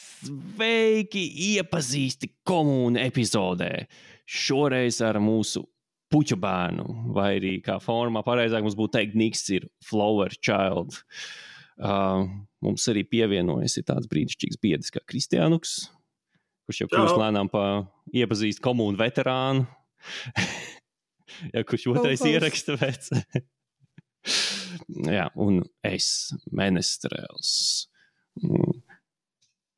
Sveiki, iepazīsti komūnu epizodē. Šoreiz ar mūsu puķu bērnu, vai arī kā formā pareizāk mums būtu teikt, Niks ir Flower Child. Mums arī pievienojas tāds brīnišķīgs biedrs kā Kristiānuks, kurš jau kļūst lēnām pa iepazīst komūnu veterānu. Ja, kurš otrais ieraksta vec. Jā, un es, Menestrēls.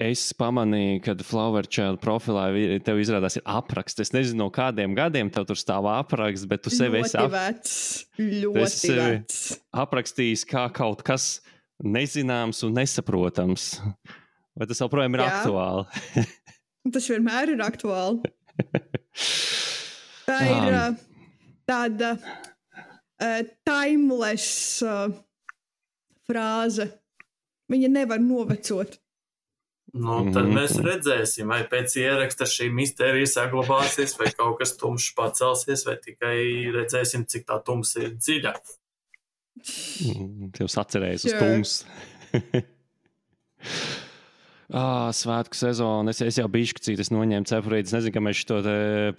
Es pamanīju, kad Flower Child profilā tev izrādās ir apraksts. Es nezinu, no kādiem gadiem tev tur stāv apraksts, bet tu sevi esi aprakstījis kā kaut kas nezināms un nesaprotams. Vai tas joprojām ir aktuāli? Tas vienmēr ir aktuāli. Tā ir tāda timeless frāze. Viņa nevar novecot. Nu, tad mēs redzēsim, vai pēc ieraksta šī misterija saglabāsies, vai kaut kas tumšs pacelsies, vai tikai redzēsim, cik tā tumsa ir dziļa. Tev sacerējies uz tums. Svētku sezonu. Es jau bišķicīt, es noņēmu cepurīt. Es nezinu, ka mēs šo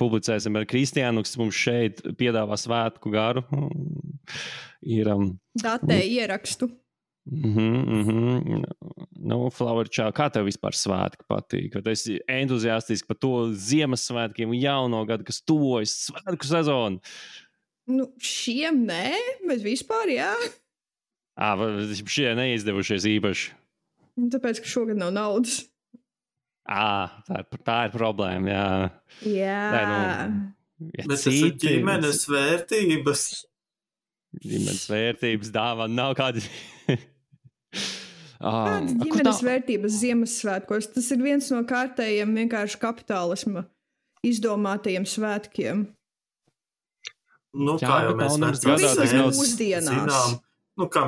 publicēsim ar Kristiānu, kas mums šeit piedāvā svētku garu. Datē ierakstu. Nu, Flower Child, kā tev vispār svētki patīk? Vai tu esi entuziastiski par to Ziemassvētkiem un jauno gadu, kas tuvojas svētku sezonu? Nu, šiem nē, bet vispār jā. Šie neizdevušies īpaši. Tāpēc, ka šogad nav naudas. Tā ir problēma, jā. Jā. Bet tas ir ģimenes vērtības. Ģimenes vērtības dāvana nav kādi... Kādas ģimenes vērtības Ziemassvētkos? Tas ir viens no kārtējiem vienkārši kapitālisma izdomātajiem svētkiem. Nu, kā jau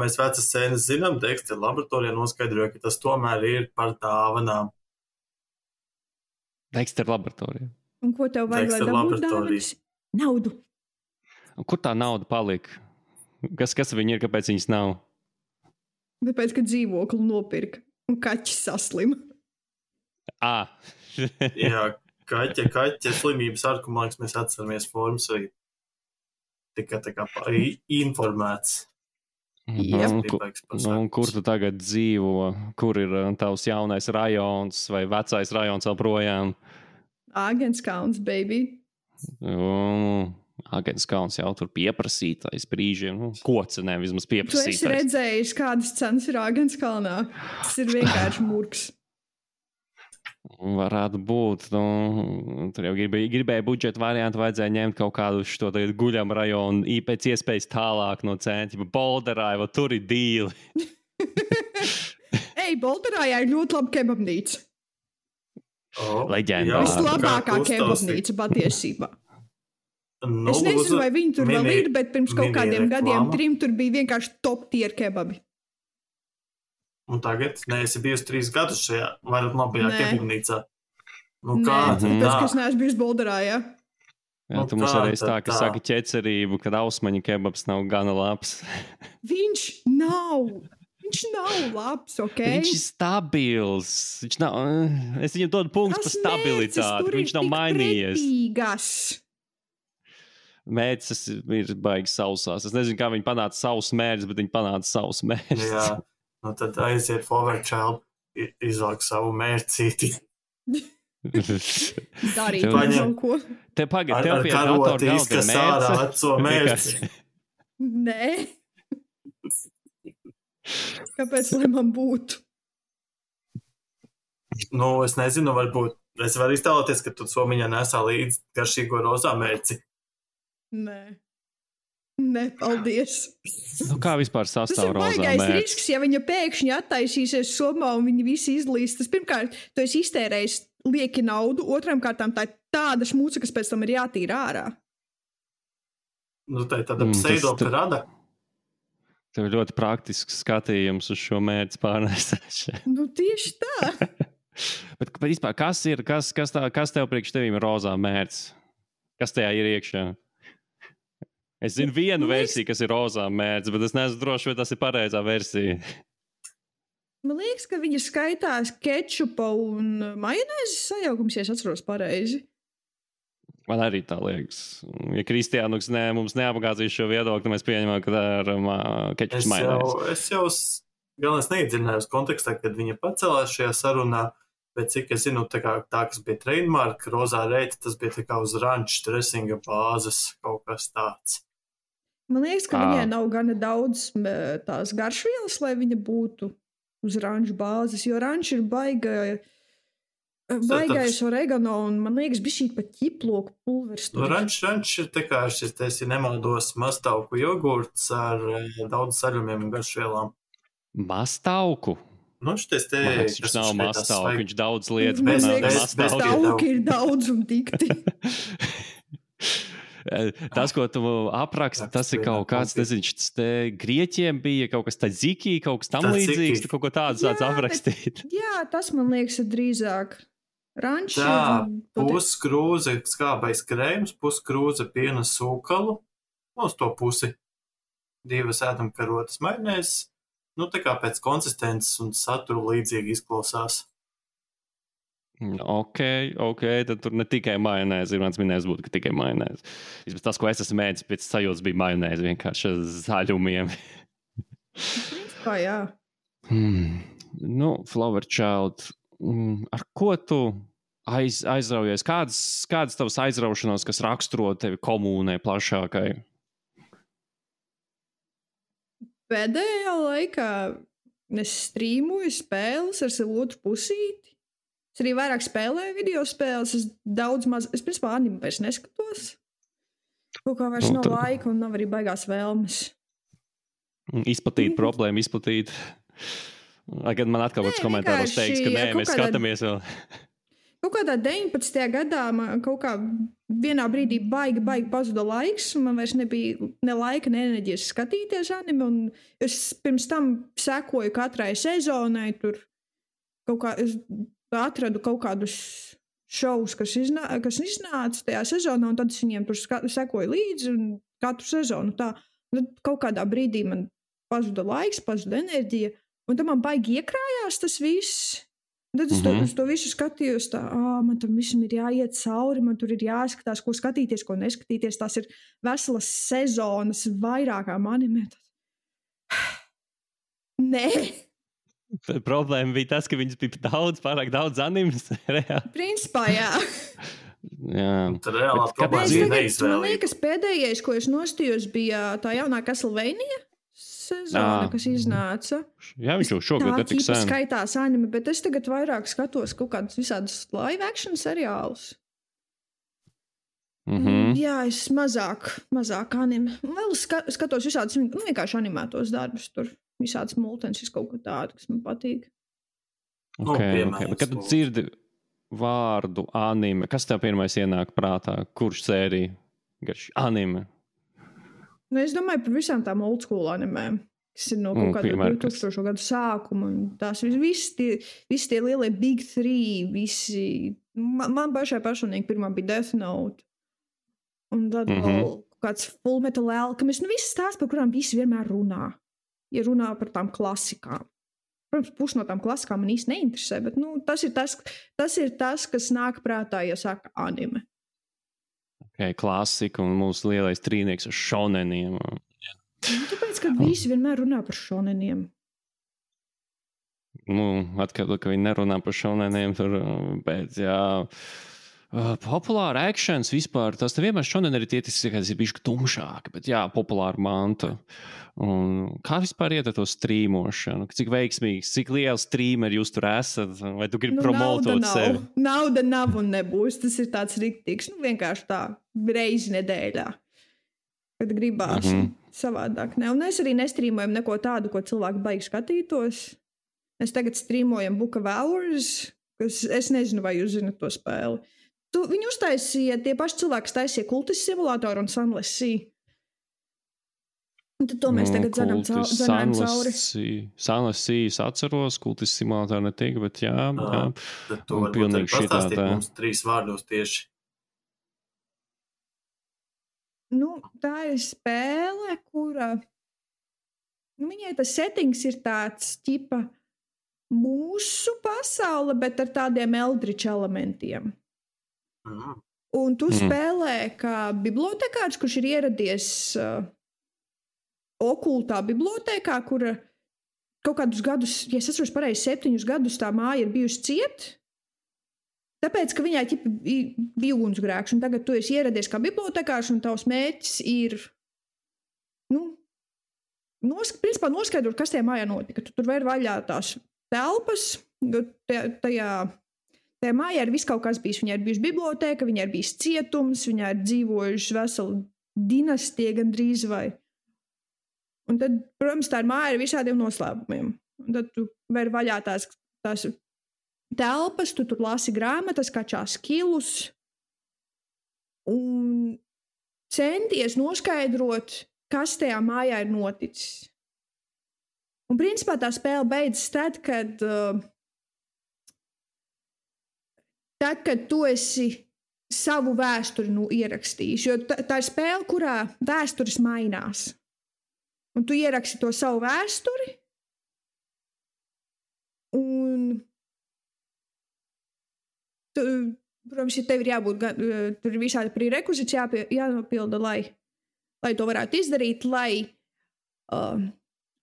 mēs vecas sēnes zinām, Dexter laboratorijā noskaidroja, ka tas tomēr ir par dāvanām. Dexter laboratorijā. Un ko tev vajag, lai dabūtu dāvanas? Naudu. Un kur tā nauda palika? Kas viņi ir, kāpēc viņas nav? Tāpēc, ka dzīvokli nopirka un kaķis saslima. Jā, kaķa slimības arguments mēs atceramies formas vai tikai tā kā informēts. Kur tu tagad dzīvo? Kur ir tavs jaunais rajons vai vecais rajons vēl projām? Āgenskauns, baby. Āgenskauns jau tur pieprasītais brīžiem. Koca vismaz pieprasītais. Tu esi redzējis, kādas cenas ir Āgenskalnā? Tas ir vienkārši murgs. Varētu būt. Tur jau gribēja budžeta variantu, vajadzēja ņemt kaut kādu šo guļam rajonu, pēc iespējas tālāk no centra. Bolderā jau tur ir dīli. Bolderā ir ļoti laba kebabnīca. Leģendāra. Vislabākā kebabnīca patiesībā. Es nezinu, vai viņi tur vēl ir, bet pirms kaut kādiem gadiem 3 tur bija vienkārši top tier kebabi. Un tagad neesi bijusi 3 gadus šajā vairāk labajā kebabnīcā. Tāpēc, ka es neesmu bijusi Bolderā, jā? Jā, tu mums arī tā, ka saka ķecerību, kad ausmaņu kebabs nav gana labs. Viņš nav labs, ok? Viņš ir stabils. Es viņam dodu punktus par stabilitāti. Viņš nav mainījies. Pretīgas. Mērķis ir baigi sausās. Es nezinu, kā viņi panāca savus mērķus, bet viņi panāca savus mērķus. Jā, tad aiziet Flower Child, izvelk savu mērķīti. Darīt kaut ko. Tev pie datora galda ir mērķis. Nē. Kāpēc, lai man būtu? Nu, es nezinu, varbūt. Es varu iztēloties, ka tu somiņā nesā līdzi garšīgo rozā mērķi. Nē, paldies. Kā vispār sastāv rozā mērķis? Tas ir baigais risks, ja viņa pēkšņi attaisīsies somā un viņi visi izlīst. Tas pirmkārt, tu esi iztērējis lieki naudu, otram kārtām tā ir tāda šmuca, kas pēc tam ir jātīra ārā. Nu, tā ir tāda pseidopirada. Tev ir ļoti praktisks skatījums uz šo mērķi pārnēstāšanu. Nu, tieši tā. Bet vispār, kas tev priekš tevīm ir rozā mērķis? Kas tajā ir iekšā? Es zinu vienu versiju, kas ir rozā mērķis, bet es neesmu droši, vai tas ir pareizā versija. Man liekas, ka viņa skaitās kečupa un majonēzes sajaukums, ja es atceros pareizi. Man arī tā liekas. Ja Kristiānuks mums neapgāzīs šo viedokli, mēs pieņemam, ka tā ir kečups majonēzes. Es jau galvenais neiedziļinājos kontekstā, kad viņa pacēlās šajā sarunā, bet cik es zinu, tā, kas bija trademark, rozā reita, tas bija tā kā uz ranča dressinga bāzes kaut kas tāds. Man liekas, ka viņai nav gana daudz tās garšvielas, lai viņa būtu uz ranča bāzes, jo ranča ir baigais oregano, un man liekas, bišķīt pat ķiploku pulveris. Ranč ir tā kā šis, ja nemaldos, mastauku jogurts ar daudz saļumiem un garšvielām. Mastauku? Šitais te... Viņš nav mastauku, viņš daudz lietas. Mastauki ir daudz un tikti. Tas, ko tu apraksti, tas ir kaut kāds, nezinu, tas te Grieķiem bija kaut kas tzatziki, kaut kas tam līdzīgs, tu kaut ko tādu sāc aprakstīt. Jā, tas man liekas ir drīzāk rančs. Tā, puskrūze skābais krējums, puskrūze piena sūkalu, uz to pusi 2 ēdamkarotes majonēzes, tā kā pēc konsistences un satura līdzīgi izklausās. Ok, tad tur ne tikai majonēze, ir mans minējums būtu, ka tikai majonēze. Vismaz tas, ko es esmu mēdis, pēc sajūtas bija majonēze vienkārši zaļumiem. Principā, jā. Flower Child, ar ko tu aizraujies? Kādas tavas aizraušanās, kas raksturo tevi komūnai plašākai? Pēdējā laikā es strīmoju spēles ar savu otru pusīti. Es arī vairāk spēlēju video spēles, es principā anime vairs neskatos. Kaut kā vairs nav laika un nav arī baigās vēlmes. Izplatīt problēmu, izplatīt. Lai gan man atkal kāds komentāros teiks, ka nē, mēs skatāmies vēl. Kaut kādā 19. gadā man kaut kā vienā brīdī baigi pazuda laiks, un man vairs nebija ne laika, ne enerģijas skatīties anime, un es pirms tam sekoju katrai sezonai, tur kaut kā... atradu kaut kādus šovus, kas iznāca tajā sezonā, un tad es viņiem tur sekoju līdzi, un katru sezonu tā. Un tad kaut kādā brīdī man pazuda laiks, pazuda enerģija, un tad man baigi iekrājās tas viss. Un tad es to visu skatījos tā, man tam visam ir jāiet cauri, man tur ir jāskatās, ko skatīties, ko neskatīties. Tās ir veselas sezonas vairākām anime. Nē! Problēma bija tas, ka viņas bija pārāk daudz animes. Principā, jā. Tad reālā problēma bija neizvēlība. Man liekas, pēdējais, ko es nostījos, bija tā jaunā Castlevania sezona, kas iznāca. Jā, viņš jau šogad ir tik sen. Tā skaitās anime, bet es tagad vairāk skatos kaut kādus visādus live action seriālus. Jā, es mazāk anime. Vēl skatos visādus vienkārši animētos darbus tur. Visāds multens, kaut ko tādu, kas man patīk. Okay. Kad tu dzirdi vārdu anime, kas tev pirmais ienāk prātā? Kurš sērija? Anime? Es domāju par visām tām old school animēm, kas ir no kaut kāda 2000. Gadu sākuma. Tās visi tie lielie Big Three, man pašai personīgi pirmā bija Death Note. Un tad vēl kāds Full Metal Alchemist. Viss tās, par kurām visi vienmēr runā. Ja runā par tām klasikām. Protams, pusi no tām klasikām man īsti neinteresē, bet tas ir tas, kas nāk prātā, ja saka anime. Klasika un mūsu lielais trīnieks ar šoneniem. Tāpēc, ka visi vienmēr runā par šoneniem. Atkal, ka viņi nerunā par šoneniem, tur pēc, jā... Populāra actions vispār, tas te vienmēr šodien arī tietis, kas ir bišķi tumšāki, bet jā, populāra manta. Un kā vispār iet ar to strīmošanu? Cik veiksmīgs, cik liels strīmeri jūs tur esat? Vai tu gribi promotot sevi? Nauda nav un nebūs, tas ir tāds riktīgs, vienkārši tā, reizi nedēļā. Kad gribās savādāk. Un es arī nestrīmojam neko tādu, ko cilvēki baigi skatītos. Mēs tagad strīmojam Book of Hours, kas es nezinu, vai jūs zinat to spēli. Viņi uztaisīja, tie paši cilvēki taisīja Kultis simulātoru un Sunless Sea. Un tad to mēs tagad zanām cauri. Sunless Sea es atceros, Kultis simulātoru netika, bet jā. Tad to varbūt pastāstīt mums 3 vārdos tieši. Tā ir spēle, kura... viņai tas settings ir tāds ķipa mūsu pasaule, bet ar tādiem Eldritch elementiem. Un tu spēlē kā bibliotekārs, kurš ir ieradies okultā bibliotēkā, kura kaut kādus gadus, ja es atceros pareizi, 7 gadus tā māja ir bijusi ciet, tāpēc, ka viņai bija ugunsgrēks, un tagad tu esi ieradies kā bibliotekārs, un tavs mērķis ir, principā noskaidrot, kas tajā mājā notika. Tu tur vēr vaļā tās telpas, tajā mājā ir viss kaut kas bijis. Viņai ir bijusi bibliotēka, viņai ir bijis cietums, viņai ir dzīvojuši veselu dinastiju gandrīz vai. Un tad, protams, tā ir māja ar visādiem noslēpumiem. Un tad tu vēr vaļā tās telpas, tu tur lasi grāmatas, kačās kilus un centies noskaidrot, kas tajā mājā ir noticis. Un principā tā spēle beidzas tad, kad tu esi savu vēsturi ierakstījis. Jo tā ir spēle, kurā vēstures mainās. Un tu ieraksti to savu vēsturi, un protams, ja tev ir jābūt, tur ir visādi prerekvizīti jānopilda, lai to varētu izdarīt, lai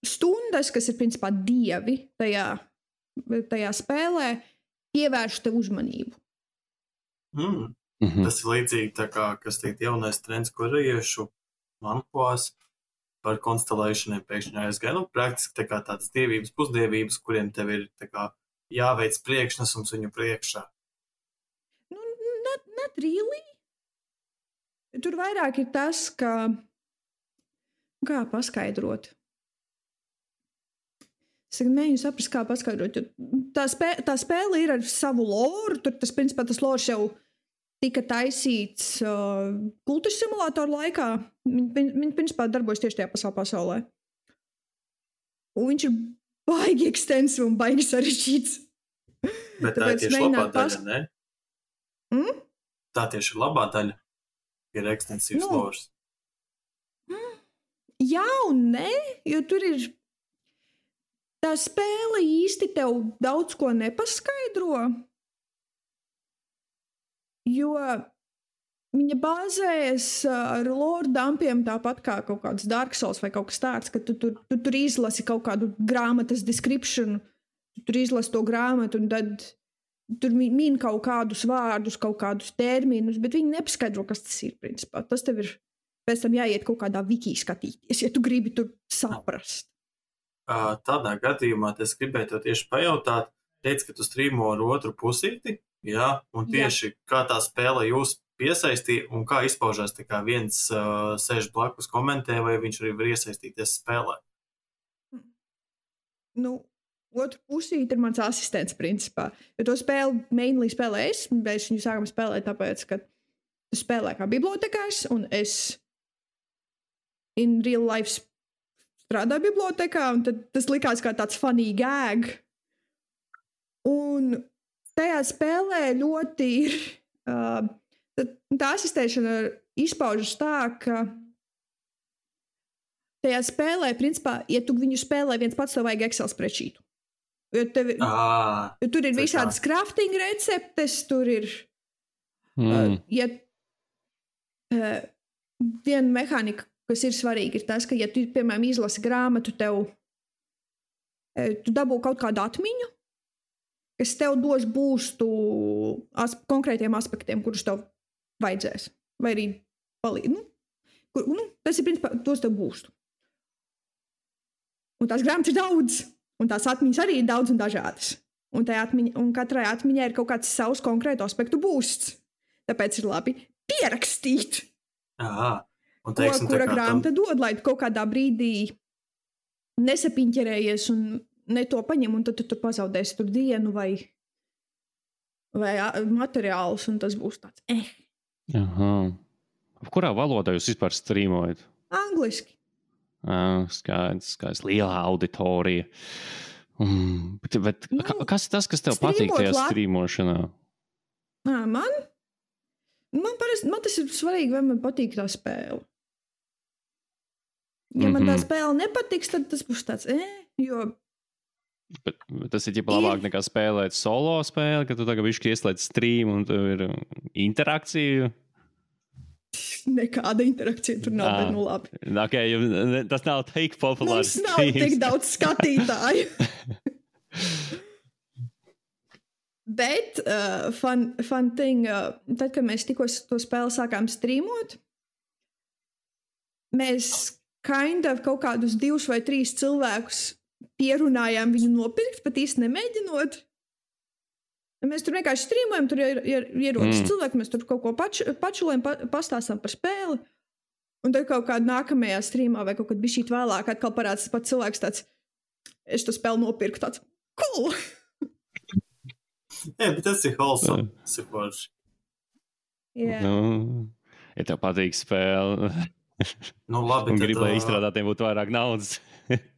stundas, kas ir principā dievi tajā spēlē, pievērš tev uzmanību. Tas ir līdzīgi tā kā, kas teikt, jaunais trends korejiešu manhuās par konstelationiem pēkšņi aizgāja. Praktiski tā kā tādas dievības, pusdievības, kuriem tev ir tā kā jāveic priekšnesums viņu priekšā. Not really. Tur vairāk ir tas, ka kā paskaidrot. Es mēģinu saprast, kā paskaidrot. Tā spēle ir ar savu loru. Tur principā tas lors jau tika taisīts kultus simulātoru laikā. Viņi principā darbojas tieši tajā pasaulē. Un viņš ir baigi ekstensīvs un baigi sarežģīts. Bet tā ir tieši labā daļa, ne? Tā tieši ir labā daļa. Ir ekstensīvs lors. Jā un nē, jo tur ir tā spēle īsti tev daudz ko nepaskaidro, jo viņa bāzējas ar lore dumpiem tāpat kā kaut kāds Dark Souls vai kaut kas tāds, ka tu tur izlasi kaut kādu grāmatas description, tu tur izlasi to grāmatu un tad tur min kaut kādus vārdus, kaut kādus terminus, bet viņi nepaskaidro, kas tas ir, principā. Tas tev ir pēc tam jāiet kaut kādā wiki skatīties, ja tu gribi tur saprast. Tādā gadījumā es gribēju tev tieši pajautāt, teici, ka tu strīmo ar otru pusīti, jā, un tieši kā tā spēle jūs piesaistīja un kā izpaužās, tā kā viens sēž blakus komentē, vai viņš arī var iesaistīties spēlē? Otru pusīti ir mans asistents, principā. Jo to spēli mainly spēlē es, mēs viņu sākam spēlēt tāpēc, ka tu spēlē kā bibliotekārs, un es in real life strādāju bibliotekā, un tad tas likās kā tāds funny gag. Un tajā spēlē ļoti ir tā asistēšana izpaužas tā, ka tajā spēlē, principā, ja tu viņu spēlē viens pats, tev vajag Excel spreadsheetu. Jo tur ir visādas crafting receptes, tur ir viena mehānika, kas ir svarīga, ir tas, ka, ja tu, piemēram, izlasi grāmatu, tu dabū kaut kādu atmiņu, kas tev dos boostu konkrētiem aspektiem, kurus tev vajadzēs. Vai arī palīdz. Tas ir, principā, tos tev boostu. Un tās grāmatas ir daudz. Un tās atmiņas arī ir daudz un dažādas. Un katrai atmiņai ir kaut kāds savs konkrētu aspektu boosts. Tāpēc ir labi pierakstīt. Un teiksim, kura grāmata dod, lai tu kaut kādā brīdī nesapiņķerējies un ne to paņem, un tad tu tur pazaudēsi tur dienu vai materiālus, un tas būs tāds Kurā valodā jūs vispār strīmojat? Angliski. Skaidrs, lielā auditorija. Bet kas ir tas, kas tev patīk tajā strīmošanā? Man tas ir svarīgi, vai man patīk tā spēle. Ja man tā spēle nepatiks, tad tas būs tāds, jo Bet tas ir labāk nekā spēlēt solo spēli, ka tu tagad bišķi ieslēdz stream un tur ir interakcija. Nekāda interakcija tur nav, bet nu labi. Okay, tas nav tik populārs. Mums nav tik daudz skatītāju. Bet fun thing, tad, kad mēs tikko to spēli sākām streamot, mēs kaut kādus 2 vai 3 cilvēkus pierunājām viņu nopirkt, pat īsti nemēģinot. Mēs tur vienkārši streamojam, tur ierodas cilvēki, mēs tur kaut ko pačulējam, pastāstam par spēli, un tad kaut kādā nākamajā streamā vai kaut kad bišķīt vēlāk atkal parāds pats cilvēks tāds, es to spēli nopirku, tāds, cool! Jā, bet tas ir wholesome, sakoši. Jā. Ja tev patīk spēle, Labi, un gribi, lai izstrādātiem būtu vairāk naudas.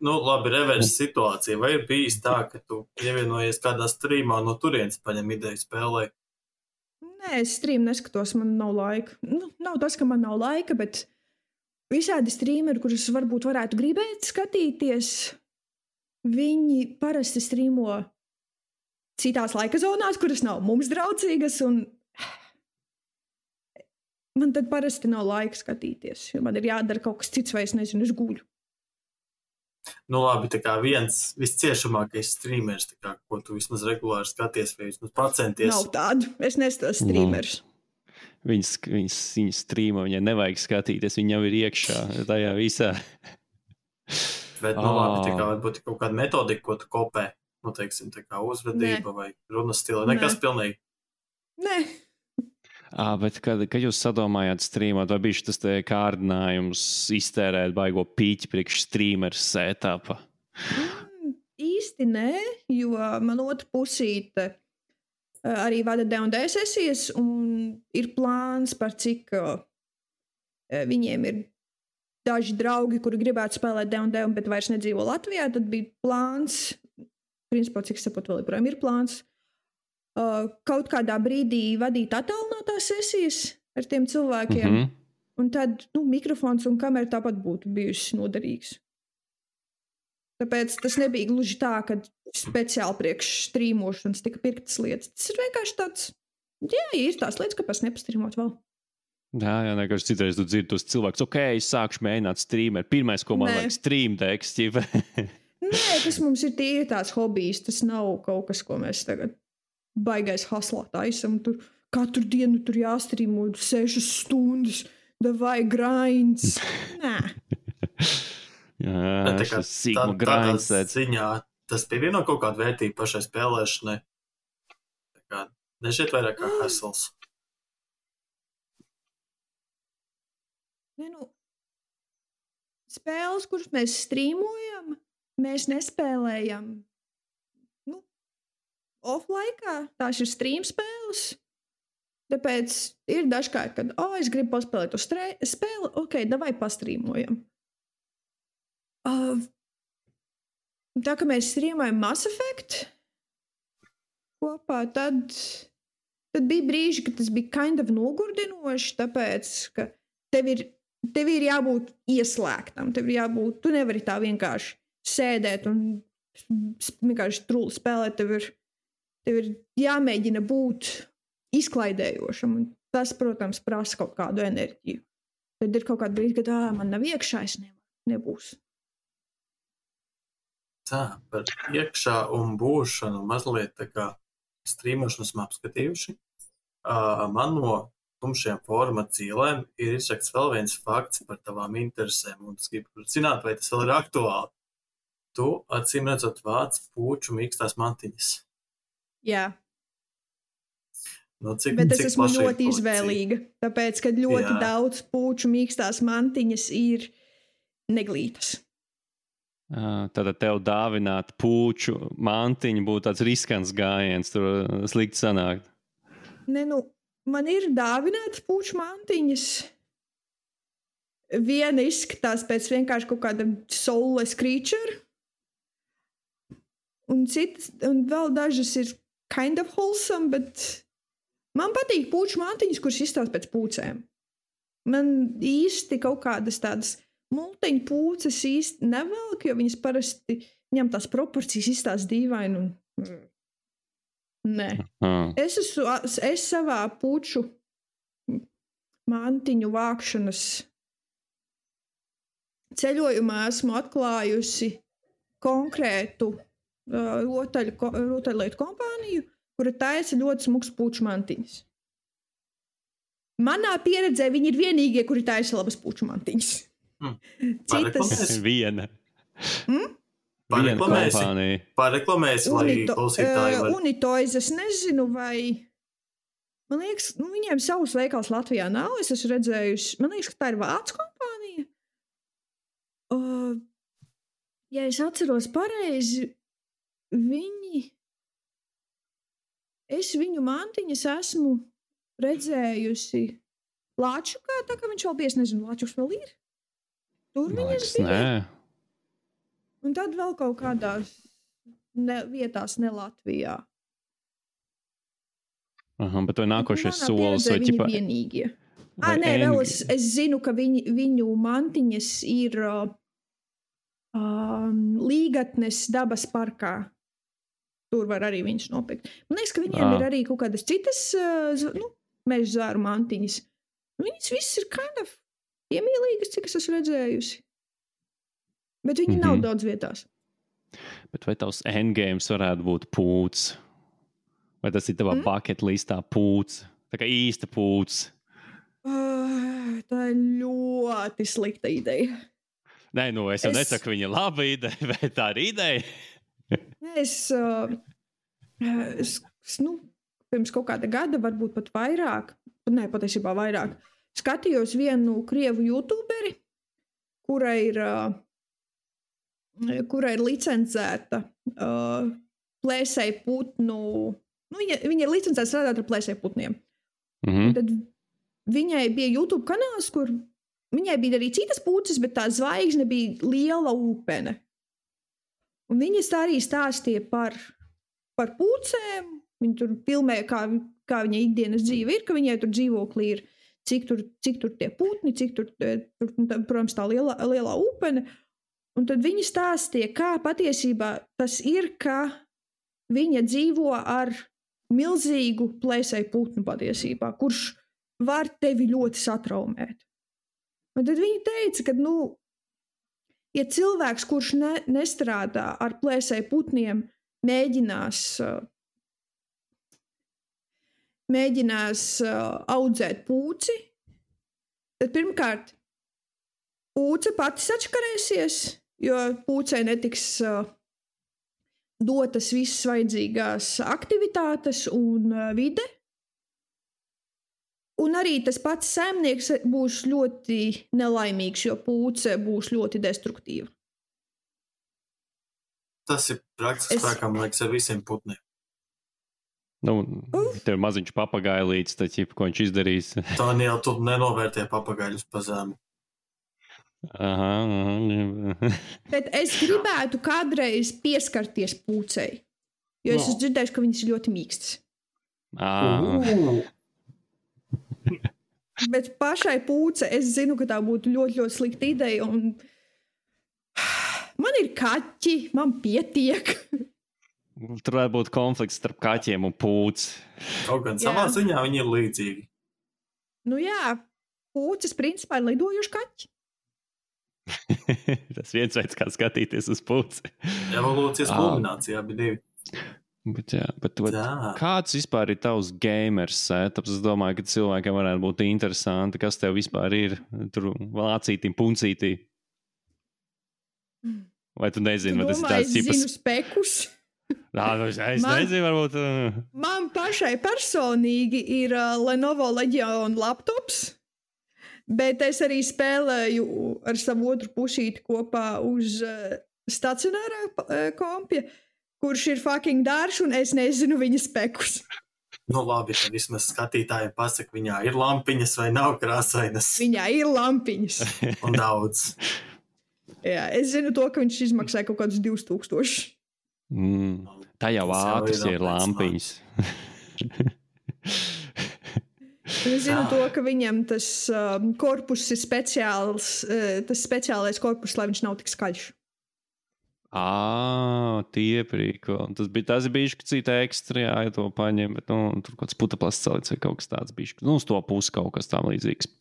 Labi, reverse situācija. Vai ir bijis tā, ka tu pievienojies kādā streamā no turienes paņem ideju spēlē? Nē, es streamu neskatos, man nav laika. Nav tas, ka man nav laika, bet visādi streameri, kurus varbūt varētu gribēt skatīties, viņi parasti streamo citās laika zonās, kuras nav mums draudzīgas, un man tad parasti nav laika skatīties, jo man ir jādara kaut kas cits, vai es nezinu, es guļu. Labi, tā kā viens visciešamākais streamers, tā kā, ko tu vismaz regulāri skaties, vai vismaz pacenties. Nav tādu, es neskatos streamers. Viņa streamo, viņai nevajag skatīties, viņa jau ir iekšā tajā visā. Bet, labi, tā kā varbūt kaut kāda metodika, ko tu kopē, teiksim, tā kā uzvedība vai runas stila, nekas pilnīgi. Nē. Bet kad jūs sadomājāt streamot, vai bija tas kārdinājums iztērēt baigo pīķi priekš streameru setapa? Īsti nē, jo man otra pusīte arī vada D&D sesijas, un ir plāns par cik viņiem ir daži draugi, kuri gribētu spēlēt D&D, bet vairs nedzīvo Latvijā, tad bija plāns, principā, cik saprotu, vēl joprojām ir plāns, kaut kādā brīdī vadīt attālinātās sesijas ar tiem cilvēkiem, un tad mikrofons un kamera tāpat būtu bijusi noderīgs. Tāpēc tas nebija gluži tā, ka speciāli priekš strīmošanas tika pirktas lietas. Tas ir vienkārši tāds, ir tās lietas, kāpēc nepastrīmot vēl. Jā, vienkārši citreiz tu dzirdi tos cilvēkus, es sākšu mēģināt streamer. Pirmais, ko man vajag, stream teksts. Nē, tas mums ir tīri tāds hobijs, tas nav kaut kas, ko mēs tagad baigais haslā taisam, tur katru dienu tur jāstrīmo 6 stundas, vai grinds. Nē. Jā, šis sīkuma grinds. Ziņā tas pievieno kaut kādu vērtību pašai spēlēšanai. Tā kā nešķiet vairāk kā hasls. Spēles, kuras mēs strīmojam, mēs nespēlējam off-laikā, tās ir stream spēles, tāpēc ir dažkārt, kad, es gribu paspēlēt to spēli, davai pastrīmojam. Tā, ka mēs streamojam Mass Effect kopā, tad bija brīži, ka tas bija kind of nogurdinoši, tāpēc, ka tev ir jābūt ieslēgtam, tu nevari tā vienkārši sēdēt un vienkārši truli spēlēt, tev ir jāmēģina būt izklaidējošam, un tas, protams, prasa kaut kādu enerģiju. Tad ir kaut kāda brīdi, kad man nav iekšā, es nebūs. Tā, par iekšā un būšanu mazliet tā kā strīmošanu esam apskatījuši. Man no tumšajām forma dzīlēm ir izrakts vēl viens fakts par tavām interesēm, un es gribu zināt, vai tas vēl ir aktuāli. Tu, acīm redzot, vāc pūču mīkstās mantiņas. Jā. Bet es esmu ļoti izvēlīga, tāpēc, ka ļoti daudz pūču mīkstās mantiņas ir neglītas. Tātad tev dāvināt pūču mantiņu būtu tāds riskants gājiens, tur slikti sanākt. Man ir dāvināts pūču mantiņas. Viena izskatās pēc vienkārši kaut kāda soulless creature, un vēl dažas ir kind of wholesome, bet man patīk pūču mantiņas, kuras izstāst pēc pūcēm. Man īsti kaut kādas tādas multeņu pūces īsti nevelk, jo viņas parasti viņam tās proporcijas izstāsta dīvaini. Nē. Es savā puču mantiņu vākšanas ceļojumā esmu atklājusi konkrētu rotaļlietu kompāniju, kura taisa ļoti smuks puču mantiņas. Manā pieredzē viņi ir vienīgie, kuri taisa labas puču mantiņas. Citas... Viena. Pareklamēs, lai klausītāji var... Unitoys, es nezinu, vai... Man liekas, viņiem savus veikals Latvijā nav, es esmu redzējusi. Man liekas, ka tā ir vācu kompānija. Ja es atceros pareizi, es viņu mantiņas esmu redzējusi Lāčukā, tā kā viņš vēl bija, es nezinu, Lāčuks vēl ir? Tur viņas bija. Nē. Un tad vēl kaut kādās vietās ne Latvijā. Bet vai nākošais solis? Vai viņi vienīgie? Nē, vēl es zinu, ka viņu mantiņas ir Līgatnes dabas parkā. Tur var arī viņš nopirkt. Man liekas, ka viņiem ir arī kaut kādas citas meža zāru mantiņas. Viņas viss ir kind of piemīlīgas, cik es esmu redzējusi. Bet viņi nav daudz vietās. Bet vai tavs endgames varētu būt pūts? Vai tas ir tavā bucket listā pūts? Tā kā īsta pūts? Tā ir ļoti slikta ideja. Nē, es jau nesaku, viņa laba ideja, vai tā ir ideja? Pirms kaut kāda gada, varbūt pat vairāk, patiesībā vairāk, skatījos vienu krievu youtuberi, kura ir licencēta plēsēju putnu, viņa ir licencēta strādāt ar plēsēju putniem. Tad viņai bija YouTube kanāls, kur viņai bija arī citas puces, bet tā zvaigzne bija liela upene. Un viņas arī stāstīja par pucēm. Viņa tur filmēja, kā viņa ikdienas dzīve ir, ka viņai tur dzīvoklī ir, cik tur tie putni, cik tur protams, tā lielā upene. Un tad viņa stāstīja, kā patiesībā tas ir, ka viņa dzīvo ar milzīgu plēsēju putnu patiesībā, kurš var tevi ļoti satraumēt. Un tad viņa teica, ka, ja cilvēks, kurš nestrādā ar plēsēju putniem, mēģinās audzēt pūci, tad pirmkārt pūce pati sačkarēsies, jo pūcei netiks dotas visas vajadzīgās aktivitātes un vide. Un arī tas pats saimnieks būs ļoti nelaimīgs, jo pūce būs ļoti destruktīva. Tas ir praktiski spēkā, man liekas, ar visiem putniem. Tev maziņš papagailīts, tad, ko viņš izdarīs. Tā jau tu nenovērtē papagaļus pa zemu. Bet es gribētu kādreiz pieskarties pūcei, jo es esmu dzirdējuši, ka viņas ir ļoti mīkstas. Bet pašai pūce, es zinu, ka tā būtu ļoti, ļoti slikta ideja, un man ir kaķi, man pietiek. Tur varētu būt konflikts starp kaķiem un pūci. Kaut gan savā ziņā viņi ir līdzīgi. Pūces principā ir lidojuši kaķi. Tas viens veids, kā skatīties uz pūci. Evolūcijas kulminācijā bija divi. Bet kāds vispār ir tavs gamers setups? Es domāju, ka cilvēkiem varētu būt interesanti, kas tev vispār ir tur lācītī, puncītī. Vai tu nezini, vai tas ir tāds tipas... Es zinu spekus. Es nezinu, varbūt... Man pašai personīgi ir Lenovo Legion laptops, bet es arī spēlēju ar savu otru pušīti kopā uz stacionārā kompja, kurš ir fucking dārš, un es nezinu viņa spekus. Labi, tad vismaz skatītājiem pasaka, viņā ir lampiņas vai nav krāsainas. Viņā ir lampiņas. Un daudz. Jā, es zinu to, ka viņš izmaksāja kaut kādus 2000. Tā jau ātras ir lampiņas. Es zinu to, ka viņam tas korpus ir speciāls, tas speciālais korpus, lai viņš nav tik skaļš. Tie prīko. Tas bija cita ekstra, jā, ja to paņem, bet, tur kāds putaplasts celits vai kaut kas tāds bišķi. Uz to pusi kaut kas tam līdzīgs.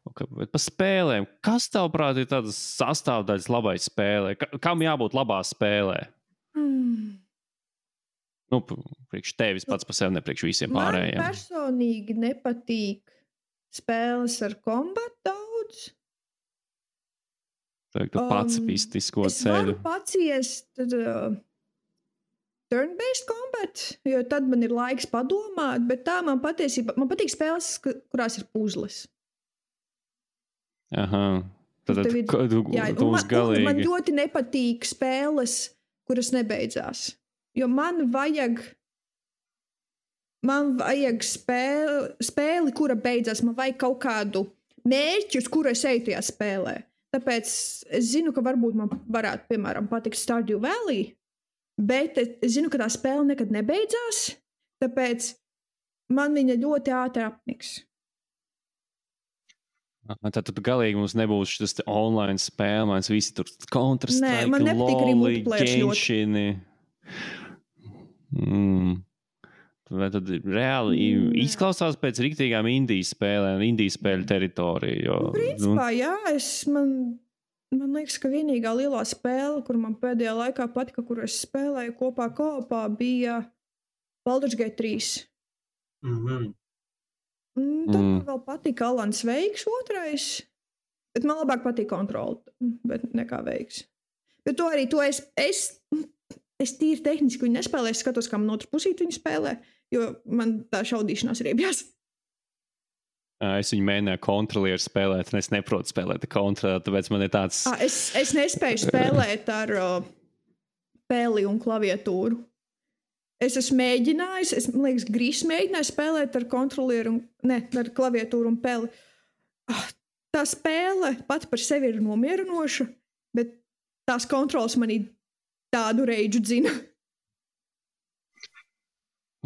Okay, bet par spēlēm. Kas tavuprāt ir tādas sastāvdaļas labai spēlē? Kam jābūt labā spēlē? Priekš tevis pats par sevi, ne priekš visiem pārējiem. Man personīgi nepatīk spēles ar kombatu daudz. Pacifistisko ceļu. Es varu paciest turn-based combat, jo tad man ir laiks padomāt, bet tā man patīk spēles, kurās ir puzles. Aha. Tad būs galīgi. Man ļoti nepatīk spēles, kuras nebeidzās. Jo man vajag spēli, kura beidzās. Man vajag kaut kādu mērķi, uz kuru es eju tajā spēlē. Tāpēc es zinu, ka varbūt man varētu, piemēram, patikt Stardew Valley, bet es zinu, ka tā spēle nekad nebeidzās, tāpēc man viņa ļoti ātri apniks. Tad galīgi mums nebūs šis online spēle, mēs visi tur Counter-Strike, LOL, Genshini. Vai tad reāli izklausās pēc riktīgām indijas spēlēm, indijas spēļu teritoriju? Principā, jā, man liekas, ka vienīgā lielā spēle, kur man pēdējā laikā patika, kur es spēlēju kopā, bija Baldur's Gate 3. Tad man vēl patika Alans Veiks 2. Bet man labāk patika Kontrol, bet nekā Veiks. Bet to es tīri tehniski viņu nespēlēju, es skatos, kā man otru pusīt viņu spēlē. Jo man tā šaudīšanās riebjās. Es viņu mēģināju kontrolieru spēlēt, un es neprotu spēlēt kontrolieru, tāpēc man ir tāds... Es nespēju spēlēt ar peli un klaviatūru. Es esmu mēģinājis, man liekas, Grīs mēģināju spēlēt ar kontrolieru, ar klaviatūru un peli. Tā spēle pati par sevi ir nomierinoša, bet tās kontrolas manī tādu reidžu dzina.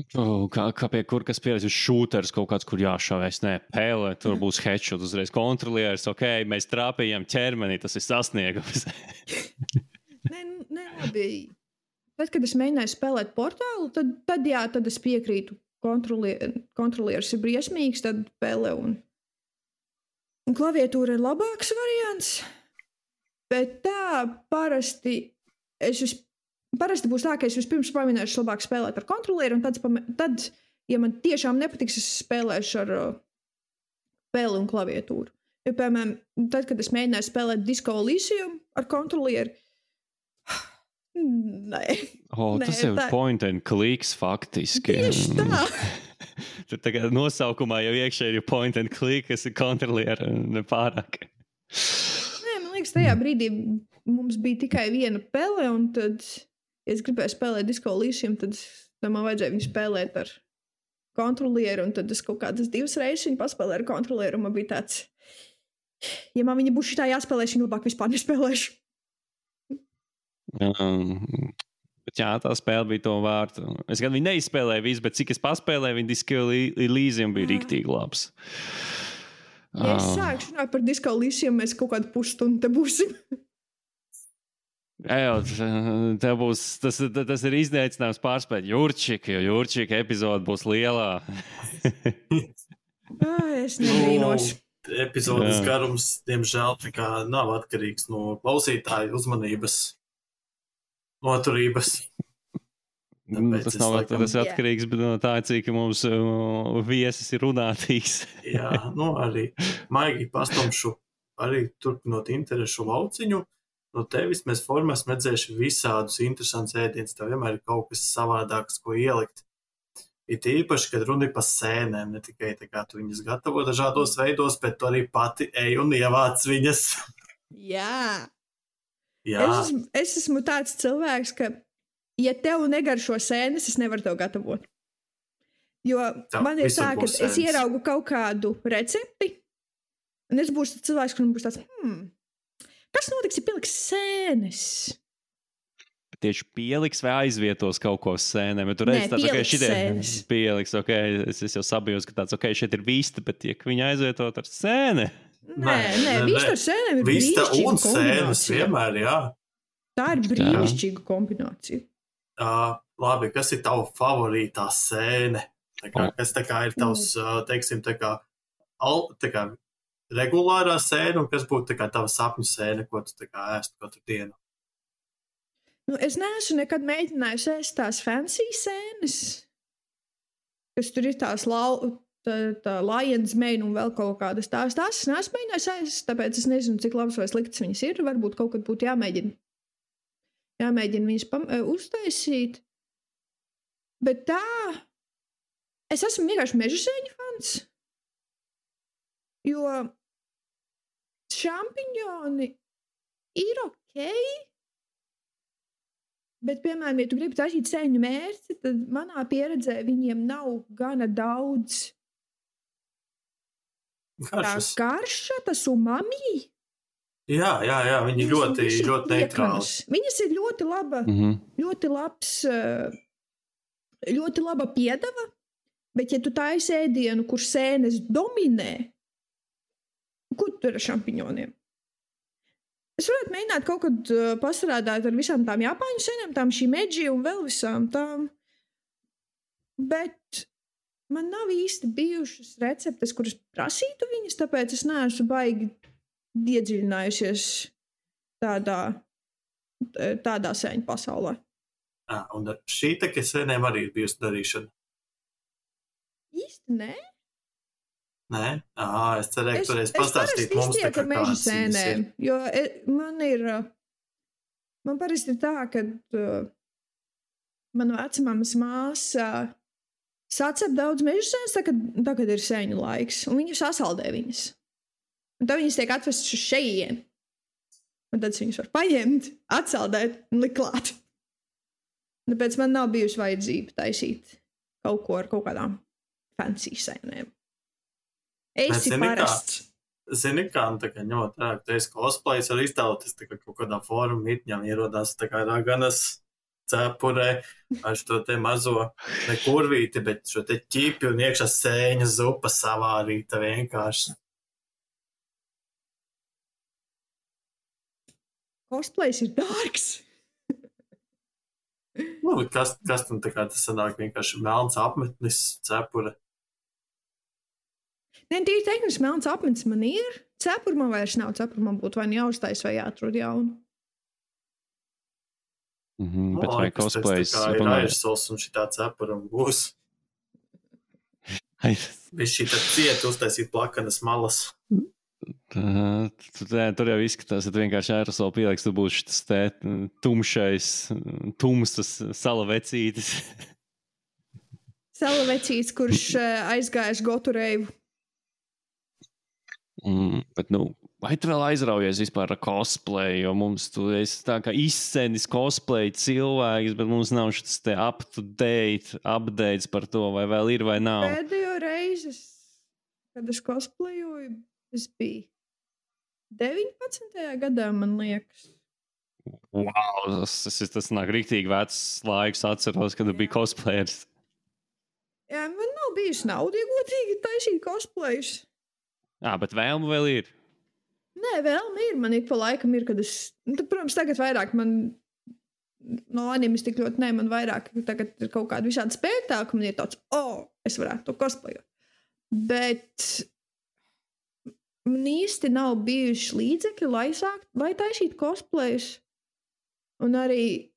Kā pie kur, kas pieredz uz šūters kaut kāds, kur jāšāvēs, pēlē, tur būs headshot, uzreiz kontrolieris, mēs trāpījām ķermenī, tas ir sasniegums. Labi. Tad, kad es mēģināju spēlēt portālu, tad es piekrītu, kontrolieris ir briesmīgs, tad pēlē un klaviatūra ir labāks variants, bet tā parasti būs tā, ka es vispirms pamēģināšu labāk spēlēt ar kontrolieru, un tad, ja man tiešām nepatiks, es spēlēšu ar peli un klaviatūru. Jo, piemēram, tad, kad es mēģināju spēlēt Disco Elysium ar kontrolieru, tas jau ir point and clicks faktiski. Tieši tā. Tur tagad nosaukumā jau iekšēji ir point and click, kas ir kontrolieru nepārāk. Man liekas, tajā brīdī mums bija tikai viena pele, un tad, ja es gribēju spēlēt Disco Elysium, tad man vajadzēja viņu spēlēt ar kontrolieru, un tad es kaut kādas 2 reizes viņu paspēlēju ar kontrolieru, un man bija tāds, ja man viņa būs šitā jāspēlēšu, viņa labāk vispār nespēlēšu. Bet jā, tā spēle bija to vārta. Es gan viņu neizspēlēju visu, bet cik es paspēlēju, viņa Disco Elysium bija riktīgi labs. Ja es sākšu runāt par Disco Elysium, mēs kaut kādu pusstundu te būsim. Tas ir izneicinājums pārspēt Jurčiku, jo Jurčika epizode būs lielā. Es nebrīnos. Epizodes garums, diemžēl, nav atkarīgs no klausītāju uzmanības, noturības. Tas nav atkarīgs, bet no tā, cik mums viesis ir runātīgs. Jā, arī maigi pastumšu, arī turpinot interešu lauciņu. No tevis mēs formā esam redzējuši visādus interesantus ēdienus. Tev vienmēr ir kaut kas savādāks, ko ielikt. Ir īpaši, kad runa ir par sēnēm, ne tikai tā kā tu viņas gatavo dažādos veidos, bet tu arī pati ej un ievāc viņas. Jā. Es esmu tāds cilvēks, ka ja tev negaršo sēnes, es nevaru tev gatavot. Jo man ir tā, ka es ieraugu kaut kādu recepti, un es būšu cilvēks, kuram būs tāds, kas notiks, ja pieliks sēnes? Tieši pieliks vai aizvietos kaut ko sēnēm? Ja tu redzi, pieliks sēnes. Pieliks, es jau sabijos, ka tāds, šeit ir vista, bet tiek viņa aizvietot ar sēne. Nē, vista ar sēnēm ir vista brīnišķīga un sēnes vienmēr, jā. Tā ir brīnišķīga kombinācija. Labi, kas ir tava favorītā sēne? Kas tā kā ir tavs, teiksim, tā kā regulārā sēne, un kas būtu tā kā tava sapņu sēne, ko tu tā kā ēstu katru dienu? Nu, es neesmu nekad mēģinājis ēst tās fancy sēnes, kas tur ir tās tā Lions Mane un vēl kaut kādas tās. Tās es neesmu mēģinājis ēst, tāpēc es nezinu, cik labas vai sliktas viņas ir. Varbūt kaut kad būtu jāmēģina viņas uztaisīt. Bet tā, es esmu vienkārši mežasēņu fans, jo šampiņoni ir ok, bet, piemēram, ja tu gribi taisīt sēņu mērci, tad manā pieredzē viņiem nav gana daudz garša, tas umami. Jā, viņi ļoti neitrāli. Viņas ir ļoti laba, ļoti laba piedeva, bet ja tu taisi ēdienu, kur sēnes dominē, kur tur ar šampiņoniem? Es varētu mēģināt kaut kad pastrādāt ar visām tām Japāņu sēnēm, tām shimeji un vēl visām tām, bet man nav īsti bijušas receptes, kuras prasītu viņas, tāpēc es neesmu baigi iedziļinājusies tādā sēņu pasaulē. Un ar šī taka sēnēm arī ir bijusi darīšana? Īsti nē. Nē? Es cerēju, ka toreiz pastāstīt mums tā kā meža sēnēm, jo man parasti ir tā, ka mana vecmāmas māsa sacep daudz meža sēnes, tā, kad ir sēņu laiks, un viņi sasaldē viņas. Un tad viņas tiek atvestas uz šejien. Un tad viņas var paņemt, atsaldēt un likt klāt. Tāpēc man nav bijusi vajadzība taisīt kaut ko ar kaut kādām fancy sēnēm. Esi parasts. Zini, kā, tā kā ņemot rāk, tu esi cosplays, var iztauties tā kā kaut kādā fórumu mitņām ierodās tā kā raganas cepurē, ar šo te mazo ne kurvīti, bet šo te ķipi un iekšā sēņa zupa savārīta vienkārši. Cosplays ir dārgs. Kas tam tā kā tas sanāk vienkārši melns apmetnis, cepura? Nē, tīri tehniski melns apmetnis man ir. Cepura man vairs nav. Cepura man būtu vai jāuztais vai jāatrod jaunu. Bet vai cosplays? Tā kā ir aizsols un šitā cepura un būs. Viņš šī tad ciet uztaisīt plakanas malas. Tur jau izskatās, ka tu vienkārši aerosolu pieliks, tu būs šis te tumsas salavecītis. Salavecītis, kurš aizgājis gotu reivu. Bet, vai tu vēl aizraujies vispār ar cosplay, jo mums tu esi tā kā izsēnis cosplay cilvēks, bet mums nav šis te up-to-date updates par to, vai vēl ir vai nav. Pēdējo reizi, kad es cosplayoju, es biju 19. gadā, man liekas. Wow, tas nāk riktīgi vecs laiks, atceros, kad tu biji cosplayers. Jā, man nav bijusi nauda iegūtīgi taisīt cosplayus. Bet vēlme vēl ir? Nē, vēlme ir. Man ik pa laikam ir, kad es... protams, tagad vairāk man... No animes tik ļoti man vairāk tagad ir kaut kāda visāda spektāka, man ir tāds, es varētu to cosplayot. Bet... man īsti nav bijuši līdzekļi, lai taisītu cosplayus. Un arī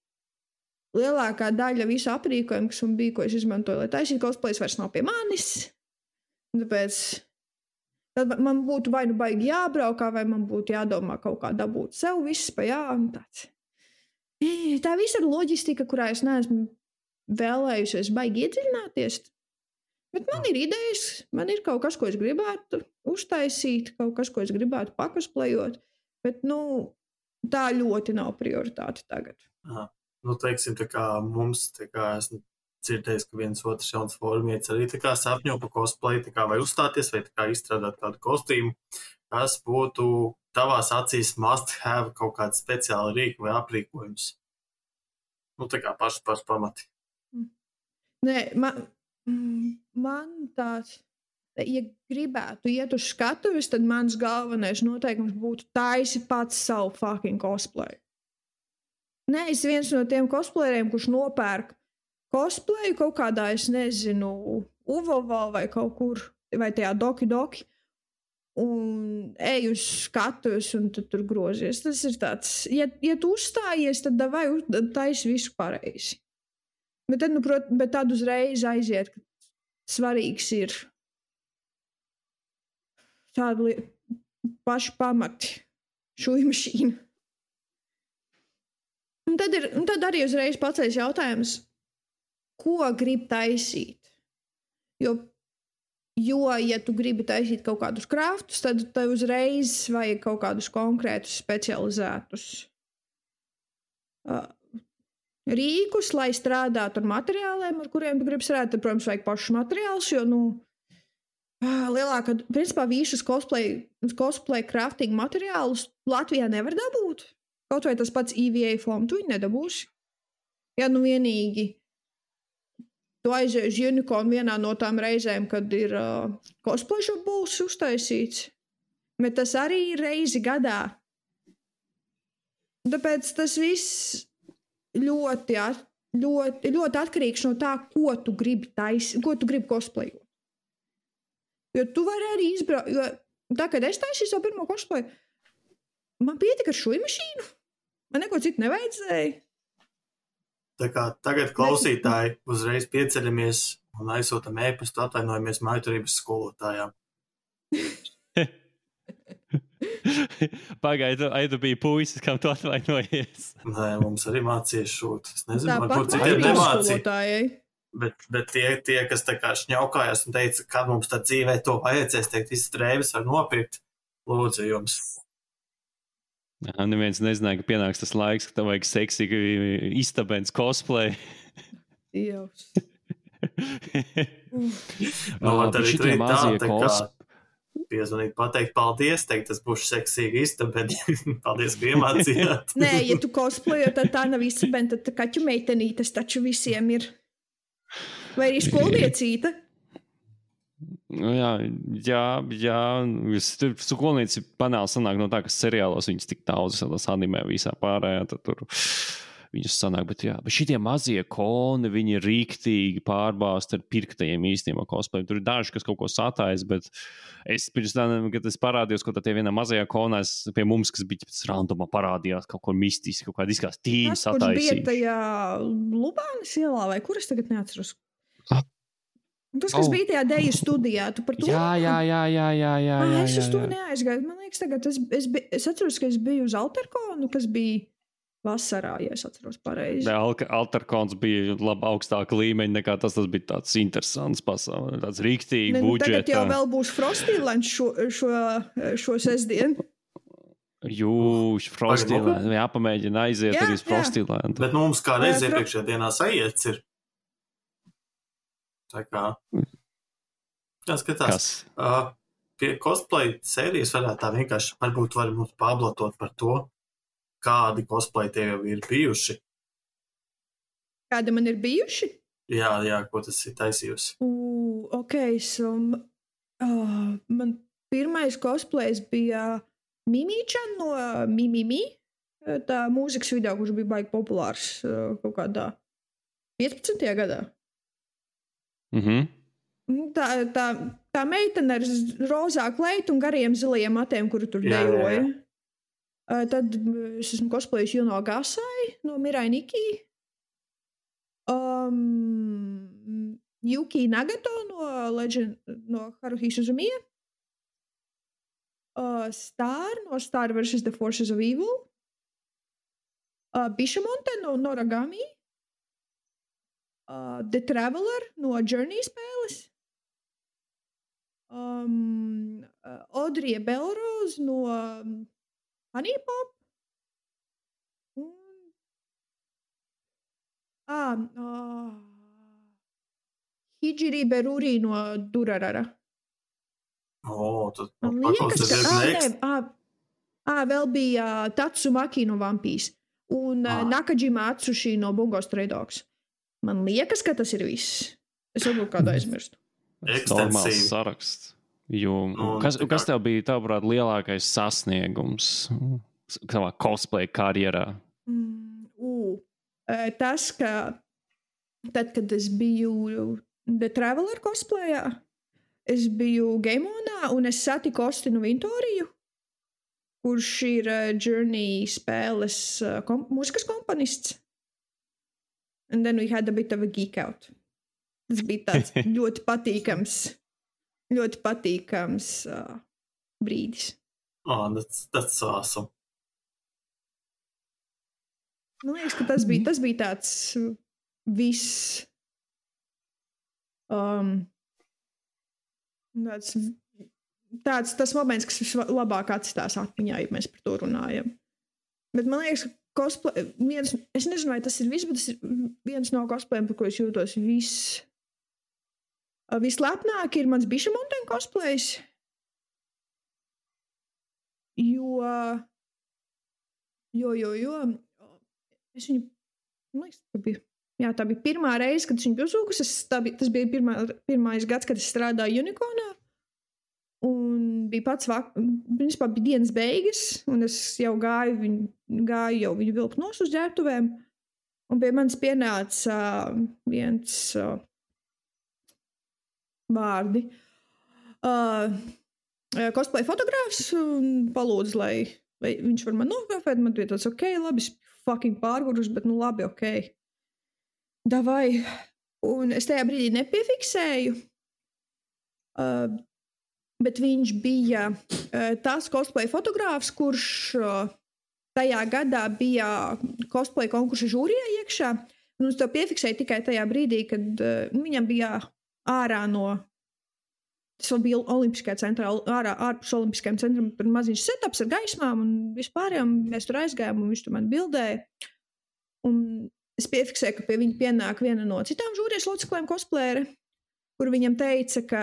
lielākā daļa visu aprīkojumu, kas man bija, ko es izmantoju, lai taisītu cosplayus, vairs nav pie manis. Tāpēc tad man būtu vai nu baigi jābraukā, vai man būtu jādomā kaut kā dabūt sev viss pa tāds. Tā visa ir loģistika, kurā es neesmu vēlējusies baigi iedziļināties. Bet man ir idejas, man ir kaut kas, ko es gribētu uztaisīt, kaut kas, ko es gribētu pakosplejot, bet, tā ļoti nav prioritāte tagad. Teiksim, tā kā mums, tā kā esmu dzirdējis, ka viens otrs jauns formietis arī tā kā sapņo pa cosplay, tā kā vai uzstāties, vai tā kā izstrādāt kādu kostīmu, kas būtu tavās acīs must have kaut kāds speciāli rīki vai aprīkojums. Tā kā paši pamati. Nē, man tāds, ja gribētu iet uz skatuves, tad mans galvenais noteikums būtu taisi pats savu fucking cosplay. neesi viens no tiem cosplayeriem, kurš nopērk cosplayu kaut kādā, es nezinu, Uvovā vai kaut kur, vai tajā Doki, un ej uz skatuves un tur grozies. Tas ir tāds, ja tu uzstājies, tad vai taisi visu pareizi. Bet tad, bet tad uzreiz aiziet, ka svarīgs ir tādi paši pamati, šūju mašīna. Un tad arī uzreiz paceļas jautājums, ko grib taisīt. Jo, ja tu gribi taisīt kaut kādus kraftus, tad tev uzreiz vajag kaut kādus konkrētus specializētus rīkus, lai strādātu ar materiāliem, ar kuriem tu gribi strādāt. Tad, protams, vajag pašus materiālus, jo, lielākā, principā, visus cosplay crafting materiālus Latvijā nevar dabūt. Kaut vai tas pats EVA foam, tu viņu nedabūsi. Ja vienīgi tu aizies uz Unicorn vienā no tām reizēm, kad ir cosplay shop būs uztaisīts, bet tas arī reizi gadā. Tāpēc tas viss ļoti atkarīgs no tā, ko tu gribi taisīt, ko tu gribi cosplayot. Jo tu vari arī izbraukt, jo tā, kad es taisīju savu pirmo cosplayu, man pietika ar šūju mašīnu. Man neko citu nevajadzēja. Tā kā tagad klausītāji uzreiz pieceļamies un aizsūtam ēpastu, atvainojamies mājturības skolotājām. Pagaidu, tu biji puisis, kam tu atvainojies. Nē, mums arī mācījies šūt. Es nezinu, varbūt citiem nemācīja. Bet tie, kas tā kā šņaukājās un teica, kad mums tā dzīvē to vajadzēs, teikt, visas drēbes var nopirkt, lūdzu jums. Jā, neviens nezināja, ka pienāks tas laiks, ka tev vajag seksīgi istabens cosplay. Dievs. Tad arī tā kā piezvanīt, pateikt paldies, teikt, tas būs seksīgi istabeni. Paldies, ka iemācījāt. Nē, ja tu cosplayo, tad tā nav istabeni, tad kaķu meitenītes taču visiem ir. Vai arī skolniecīta? Jā. Skolnieci panāli sanāk no tā, ka seriālos viņas tik daudz animē visā pārējā, tad tur viņas sanāk, bet šitie mazie koni, viņi ir rīktīgi pārbāzt ar pirktajiem īstiem cosplayiem. Tur ir daži, kas kaut ko satājas, bet es pirms tam, kad es parādījos, ko tie vienā mazajā konā, pie mums, kas bija pēc randumā parādījās kaut ko mistiski, kaut kāda izskās tīņa sataisījuši. Tas, kurš bija tajā Lubānas ielā, vai kur es tagad neatceros? Tas, kas bija tajā deju studijā, tu par to? Jā. Es uz to neaizgāju. Man liekas, tagad es atceros, ka es biju uz Alterkonu, kas bija vasarā, ja es atceros pareizi. Alterkons bija labi augstāka līmeņa nekā tas bija tāds interesants pasauli, tāds rīktīgi budžeta. Tagad jau vēl būs Frostīlands šo sestdienu. Frostīlands, jāpamēģina aiziet arī uz Frostīlandu. Bet mums kādreiz iepriekšējā dienā sajiets ir. Tā kā jāskatās. Pie cosplay sērijas varētu tā vienkārši varbūt var mums pablatot par to, kādi cosplay tie jau ir bijuši. Kādi man ir bijuši? Jā, ko tas ir taisījusi? So man pirmais cosplays bija Mimī-chan no Mimimi, tā mūzikas video, kurš bija baigi populārs kaut kādā 15. gadā. Tā meitene ar rozā kleitu un gariem zilajiem matiem, kuru tur dejoja. Tad es esmu cosplayis Juno Gasai no Mirai Nikki. Yuki Nagato no Haruhi Suzumiya. Star no Star vs. The Forces of Evil. Bishamonte no Noragami. The Traveler no Journey spēles. Audrija Belrose no Honey Pop. Hijiri Beruri no Durarara. Tad paklausīties vēl bija Tatsumaki no Vampīs un Nakajima Atsushi no Bungo Stray Dogs. Man liekas, ka tas ir viss. Es varbūt kādu aizmirstu. Normāls saraksts. Kas tev bija, tavuprāt, lielākais sasniegums savā cosplay karjerā? tas, ka tad, kad es biju The Traveler cosplayā, es biju Gameonā un es satiku Ostinu Vintoriju, kurš ir Journey spēles mūzikas komponists. And then we had a bit of a geek out. Tas bija tāds ļoti patīkams brīdis. Oh, that's awesome. Man liekas, ka tas bija tāds viss. Tas moments, kas vislabāk atstās atmiņā, ja mēs par to runājam. Bet man liekas, ka cosplay, es nezinu, vai tas ir viss, bet tas ir viens no cosplayiem, par ko es jūtos vislepnāk, ir mans Biša Mountain cosplays. Jo es viņu, man liekas, tā bija pirmā reize, kad es viņu uzūkus. Tas bija pirmais gads, kad es strādāju Unicornā. Un bija principā bija dienas beigas, un es jau gāju viņu vilkt nos uz ģērbtuvēm. Un pie manis pienāca viens vārdi. Cosplay fotogrāfs un palūdz, lai viņš var man nofotografēt. Man bija tāds, ok, labi, es fucking pārgurus, bet nu labi, ok. Davai. Un es tajā brīdī nepiefiksēju. Bet viņš bija tas cosplay fotogrāfs, kurš tajā gadā bija cosplay konkursa žūrijā iekšā. Un es to piefiksēju tikai tajā brīdī, kad viņam bija ārā no... Tas vēl bija Olimpiskajā centrā, ārpus Olimpiskajam centram, par maziņš setups ar gaismām un vispārējām. Mēs tur aizgājām un viņš tur man bildēja. Un es piefiksēju, ka pie viņa pienāk viena no citām žūrijas locekļiem cosplayere, kur viņam teica, ka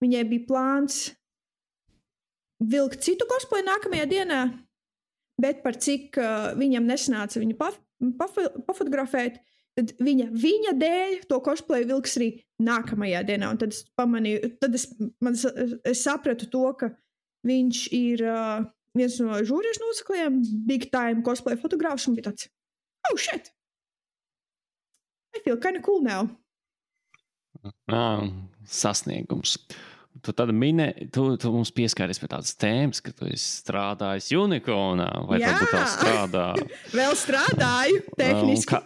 viņai bija plāns vilkt citu cosplay nākamajā dienā, bet par cik viņam nesanāca viņu pafotografēt, tad viņa dēļ to cosplay vilks arī nākamajā dienā. Un tad es pamanīju, es sapratu to, ka viņš ir viens no žūrijas locekļiem, big time cosplay fotogrāfs, un bija tāds, oh shit! I feel kind of cool now. Sasniegums. Tu tad tu mums pieskāries pie tādas tēmas, ka tu esi strādājis Unicornā, vai varbūt vēl strādā? Vēl strādāju, tehniski.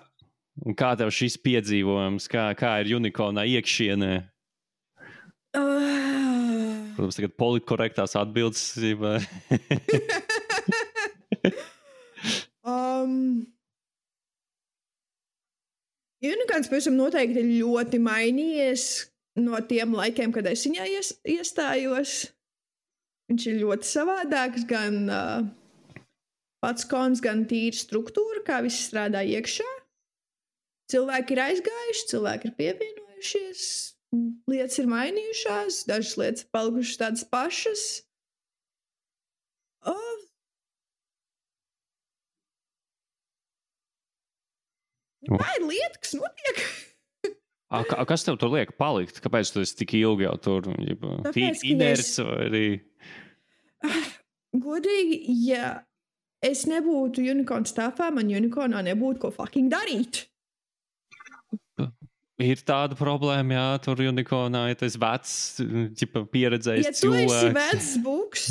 Un kā tev šis piedzīvojums, kā ir Unicornā iekšienē? Protams, tagad politkorektās atbildes. Unicorns pavisam noteikti ir ļoti mainījies no tiem laikiem, kad es viņā iestājos. Viņš ir ļoti savādāks, gan pats kons, gan tīra struktūra, kā viss strādā iekšā. Cilvēki ir aizgājuši, cilvēki ir pievienojušies, lietas ir mainījušās, dažas lietas ir palikušas tādas pašas. Tā ir lieta, kas notiek. Kas tev tur liek palikt? Kāpēc tu esi tik ilgi jau tur? Inerts vai arī? Godīgi, ja es nebūtu Unicorn staffā, man Unicornā nebūtu ko fucking darīt. Ir tāda problēma, jā, tur Unicornā, ja tu esi vecs, pieredzējis cilvēks. Ja tu esi vecs buks,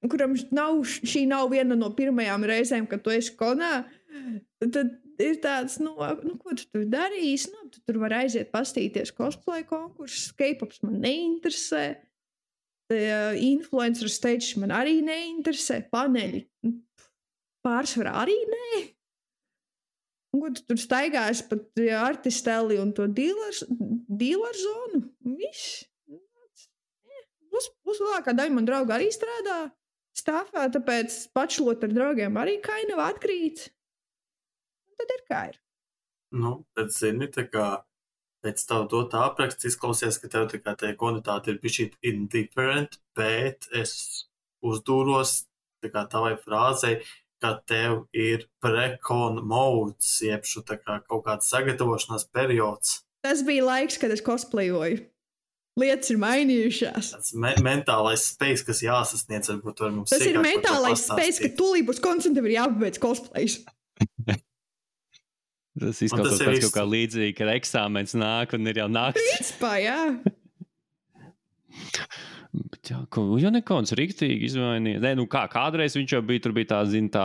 kuram šī nav viena no pirmajām reizēm, kad tu esi konā, tad ir tāds, ko tu tur darīsi? Tu tur var aiziet pastīties cosplay konkursus, K-pops man neinteresē, influencer stage man arī neinteresē, paneļi pārsvarā arī nē. Un ko tu tur staigāsi pat artisteli un to dealer zonu? Viss. Plus lielākā daļa man drauga arī strādā stāvā, tāpēc pačlot ar draugiem arī kind of atkrīt. Un tad ir kā ir. Bet zini, tā kā pēc tavu dot apraksts izklausies, ka tev tā kā tie kvalitāti ir bišķīt indifferent, bet es uzdūros tā kā tavai frāzei, ka tev ir pre-con modes, jebšu tā kā kaut kāds sagatavošanās periods. Tas bija laiks, kad es cosplayoju. Lietas ir mainījušās. Tas mentālais space, kas jāsasniedz, varbūt var mums tas ir mentālais space, ka tūlīt būs koncentrēti ir jāpabeidz cosplays. Tas izklausās pēc kaut kā līdzīgi, kad eksāmens nāk un ir jau nakts. Principā, jā. Bet jā, jau nekauns riktīgi izmainīja. Nē, nu kā, kādreiz viņš jau bija, tur bija tā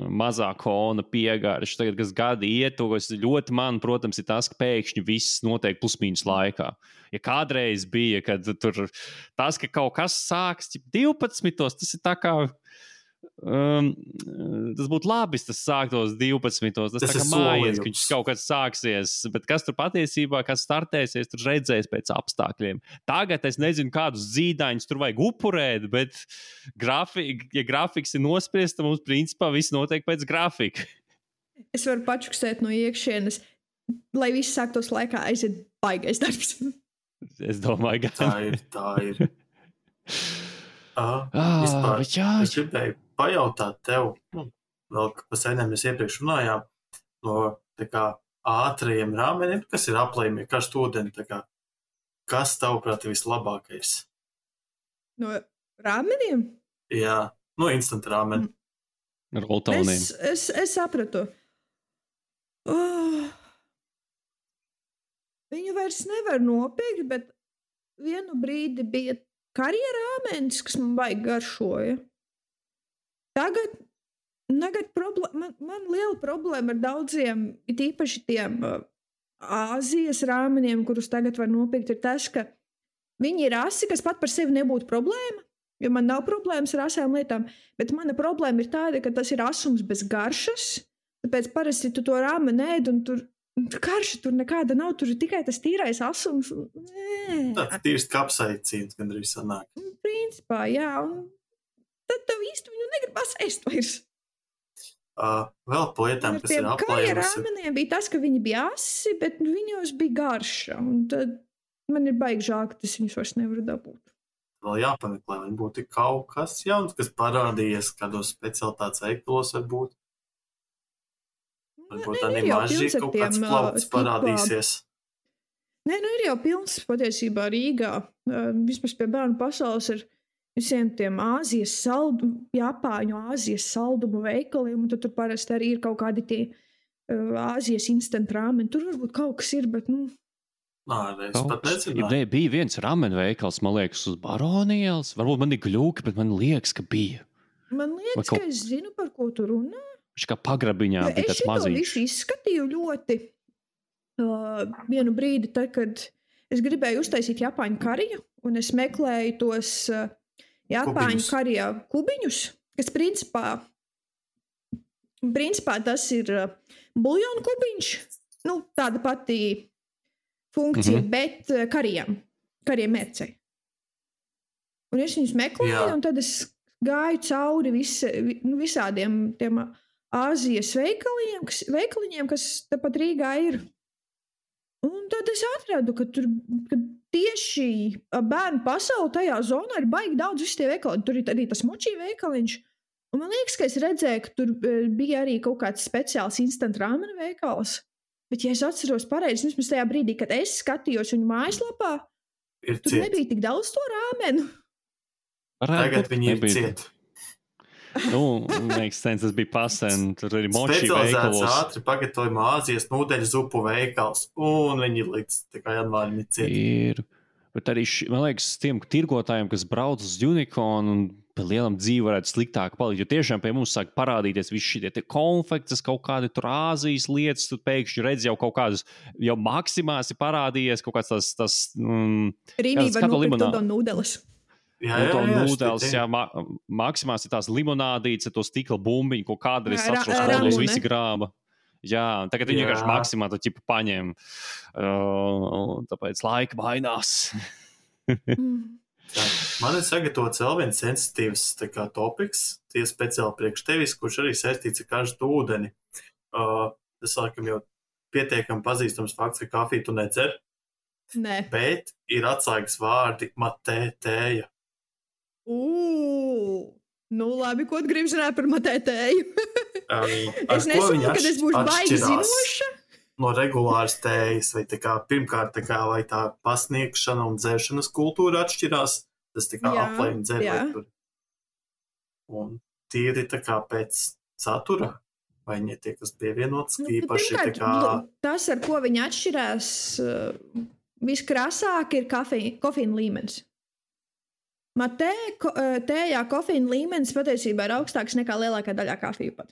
mazā kona piegarša. Tagad, kas gadi iet, to, kas ļoti man, protams, ir tas, ka pēkšņi viss notiek plus-mīnus laikā. Ja kādreiz bija, kad tur tas, ka kaut kas sāks 12, tas ir tā kā... tas būtu labi, tas sāktos 12. Tas tā kā mājies, ka viņš kaut kad sāksies, bet kas tur patiesībā, kas startēsies, tur redzēs pēc apstākļiem. Tagad es nezinu, kādus zīdaiņus tur vajag upurēt, bet ja grafiks ir nospriests, tad mums principā viss notiek pēc grafika. Es varu pačukstēt no iekšienes, lai viss sāktos laikā, aiziet baigais darbs. Es domāju, ka tā ir. Vispār, es gribēju pajautāt tev, vēl pa senēm mēs iepriekš runājām, no tā kā ātrajiem rāmeniem, kas ir aplējumi, karstu ūdeni, tā kā, kas tavuprāt ir vislabākais? No rāmeniem? Jā, no instant rāmeni. Roltauniem. Es sapratu. Viņu vairs nevar nopirkt, bet vienu brīdi bija karjerāmenis, kas man baigi garšoja. Tagad man liela problēma ar daudziem, it īpaši tiem Āzijas rāmeniem, kurus tagad var nopirkt, ir tas, ka viņi ir asi, kas pat par sevi nebūtu problēma, jo man nav problēmas ar asām lietām, bet mana problēma ir tāda, ka tas ir asums bez garšas, tāpēc parasti tu to rāmeni ēd un tur karša tur nekāda nav, tur ir tikai tas tīrais asums. Tāds tīrs kapsaicīns gandrīz sanāk. Principā, jā, un tad tev īsti viņu negribas ēst vairs. Vēl pa lietām, kas ir aplējusi. Rāmeniem bija tas, ka viņi bija asi, bet viņos bija garša, un tad man ir baigi žēl, ka tas viņus vairs nevar dabūt. Vēl jāpameklē, vai būtu kaut kas jauns, kas parādījies kādos specialitātes veikalos varbūt. Varbūt arī maži kaut kāds plaukts parādīsies. Nē, ir jau pilns patiesībā Rīgā. Vismaz pie Bērnu pasaules ir visiem tiem Japāņu Āzijas saldumu veikaliem, un tad tur parasti arī ir kaut kādi tie Āzijas instant rāmeni. Tur varbūt kaut kas ir, bet, es pat nezināju. Bija viens rāmeni veikals, man liekas, uz Baronielas. Varbūt man ir gļūki, bet man liekas, ka bija. Man liekas, ka es zinu, par ko tu runā. Viņš kā pagrabiņā bija tāds maziņš. Es visu izskatīju ļoti vienu brīdi, tad, kad es gribēju uztaisīt Japāņu kariju, un es meklēju tos Japāņu karijā kubiņus, kas principā tas ir buljonu kubiņš, tāda pati funkcija, bet kariem mērcei. Un es viņus meklēju, un tad es gāju cauri visādiem tiem Āzijas veikaliņiem, kas tepat Rīgā ir. Un tad es atradu, ka tieši Bērnu pasauli tajā zonā ir baigi daudz visi tie veikali. Tur ir arī tas močī veikaliņš. Un man liekas, ka es redzēju, ka tur bija arī kaut kāds speciāls instant rāmena veikals. Bet, ja es atceros pareizi, vismaz tajā brīdī, kad es skatījos viņu mājaslapā, tur nebija tik daudz to rāmenu. Tagad viņi ir cieti. Tas bija pasen, tur arī moči veikalos. Specializēts ātri pagatavojuma Āzijas nūdeļu zupu veikals, un viņi līdz janvārim ir cieti. Ir, bet arī, man liekas, tiem tirgotājiem, kas brauc uz Unicorn un pie lielam dzīvi varētu sliktāk palikt, jo tiešām pie mums sāk parādīties visi šitie konfektes, kaut kādi tur Āzijas lietas, tu pēkšņi redz jau kaut kādas, jau Maksimās ir parādījies kaut kāds tas Rīnī var nopirkt to nūdeles. Nūdeles, Maksimās ir tās limonādītes, to stikla bumbiņu, ko kādreiz atceros, visi grāba. Jā, tagad viņi vienkārši Maksimā to ķipu paņem. Tāpēc laika mainās. Man ir sagatavots vēl viens sensitīvs topiks, tie speciāli priekš tevis, kurš arī saistīts ar karstu ūdeni. Tas laikam jau pietiekami pazīstams fakts, ka kafiju tu nedzer. Nē. Bet ir atslēgas vārdi matē tēja. Labi, ko tu gribi zināt par matē tēju? Es nesaku, ka es būšu baigi zinoša. No regulāras tējas, vai pirmkārt, vai tā pasniegšana un dzeršanas kultūra atšķirās, tas aplējumi dzer vai tur. Un tīri pēc satura, Vai viņi tie, kas pievienots, īpaši pirmkārt, tā kā... tas, ar ko viņi atšķirās, viskrasāk ir kofīna līmenis. Tējā kofīna līmenis patiesībā ir augstāks nekā lielākā daļā kafiju pat.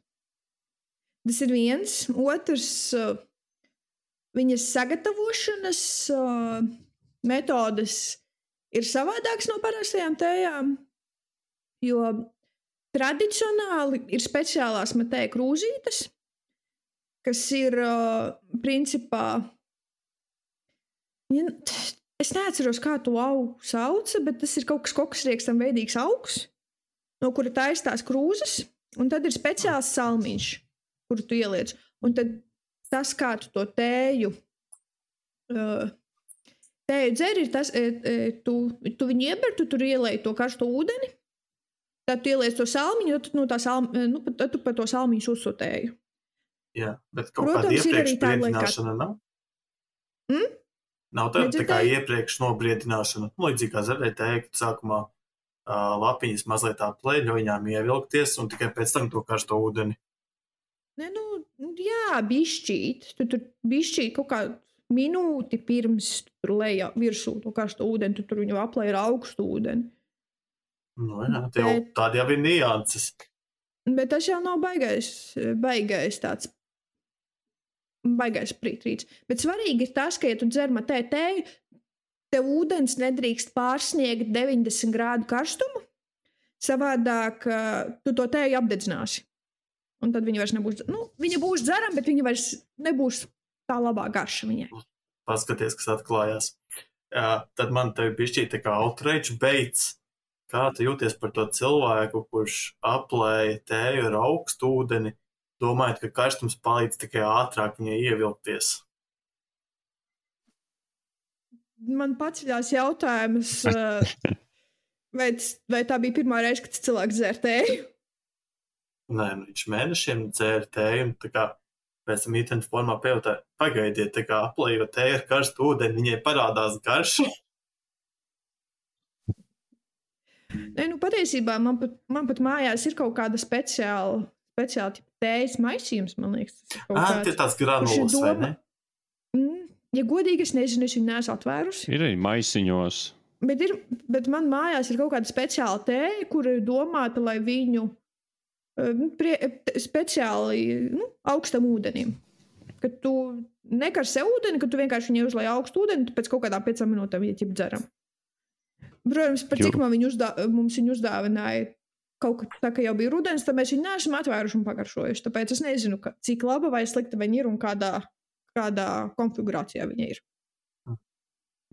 Tas ir viens. Otrs, viņas sagatavošanas metodes ir savādākas no parastajām tējām, jo tradicionāli ir speciālās matēja krūzītes, kas ir principā... Es neatceros, kā to augu sauca, bet tas ir kaut kas koksriekstam veidīgs augs, no kura taistās krūzes, un tad ir speciāls salmiņš, kuru tu ieliec. Un tad tas, kā tu to tēju dzer, ir tas, tu viņu ieber, tu tur ielēji to karsto ūdeni, tad tu ieliec to salmiņu, tad tu pa to salmiņu uzsotēju. Jā, bet kaut kāda iepriekš briedināšana nav? Nav tā kā iepriekš nobriedināšana. Līdzīgi kā zaļai tēja, kad sākumā lapiņas mazliet tā plēļoņām ievilkties un tikai pēc tam to karsto ūdeni. Ne, jā, bišķīt. Tu tur bišķīt kaut kā minūti pirms tur lejā virsū to karsto ūdeni, tu tur viņu aplēji ar augstu ūdeni. Jā, tādi jau ir nianses. Bet tas jau nav baigais tāds. Baigais prītrīts. Bet svarīgi ir tas, ka, ja tu dzer matēju tēju, tev ūdens nedrīkst pārsniegt 90 grādu karstumu, savādāk tu to tēju apdedzināsi. Un tad viņa vairs nebūs, viņa būs dzeram, bet viņa vairs nebūs tā labā garša viņai. Paskaties, kas atklājās. Tad man tev bišķīt tā kā outrage beits. Kā tu jūties par to cilvēku, kurš aplēja tēju ar augstu ūdeni, domājot, ka karstums palīdz tikai ātrāk viņai ievilkties? Man paceļās jautājums, vai tā bija pirmā reize, kad cilvēks dzer tēju? Nē, viņš mēnešiem dzēra tēju, un tā kā pēc tam internetu formā pajautāja, pagaidiet, tā kā aplējot tēju ar karstu ūdeni, viņai parādās garša. Nē, patiesībā man pat mājās ir kaut kāda speciāla tējas maisījums, man liekas. Tie tāds granulas, vai ne? Ja godīgi, es nezinu, es viņu neesmu atvērusi. Ir arī maisiņos. Bet man mājās ir kaut kāda speciāla tēja, kur ir domāta, lai viņu speciāli augstam ūdenim. Kad tu nekarsē ūdeni, kad tu vienkārši viņai uzlai augstu ūdeni, tu pēc kaut kādām 5 minūtēm viņa ķip dzeram. Protams, par cik mums viņu uzdāvināja kaut kā tā, ka jau bija rudens, tad mēs viņu neesam atvēruši un pagaršojuši. Tāpēc es nezinu, cik laba vai slikta viņa ir un kādā konfigurācijā viņa ir.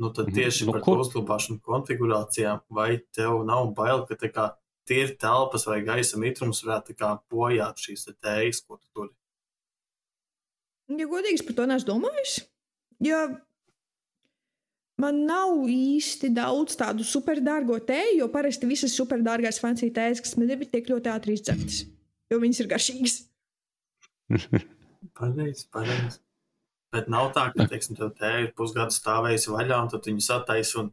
Tad tieši par to uzglabāšanu konfigurācijām, vai tev nav bail, ka tā kā tīri telpas vai gaisa mitrums varētu tā kā bojāt šīs tējas, ko tu turi? Ja godīgi, es par to neesmu domājis, jo man nav īsti daudz tādu superdārgo tēju, jo parasti visas superdārgās fancy tējas, kas man ir, tiek ļoti ātri izdzertas, jo viņas ir garšīgas. Pareizi. Bet nav tā, ka, teiksim, tev tēja ir pusgadu stāvējusi vaļā, un tad viņu sataisi un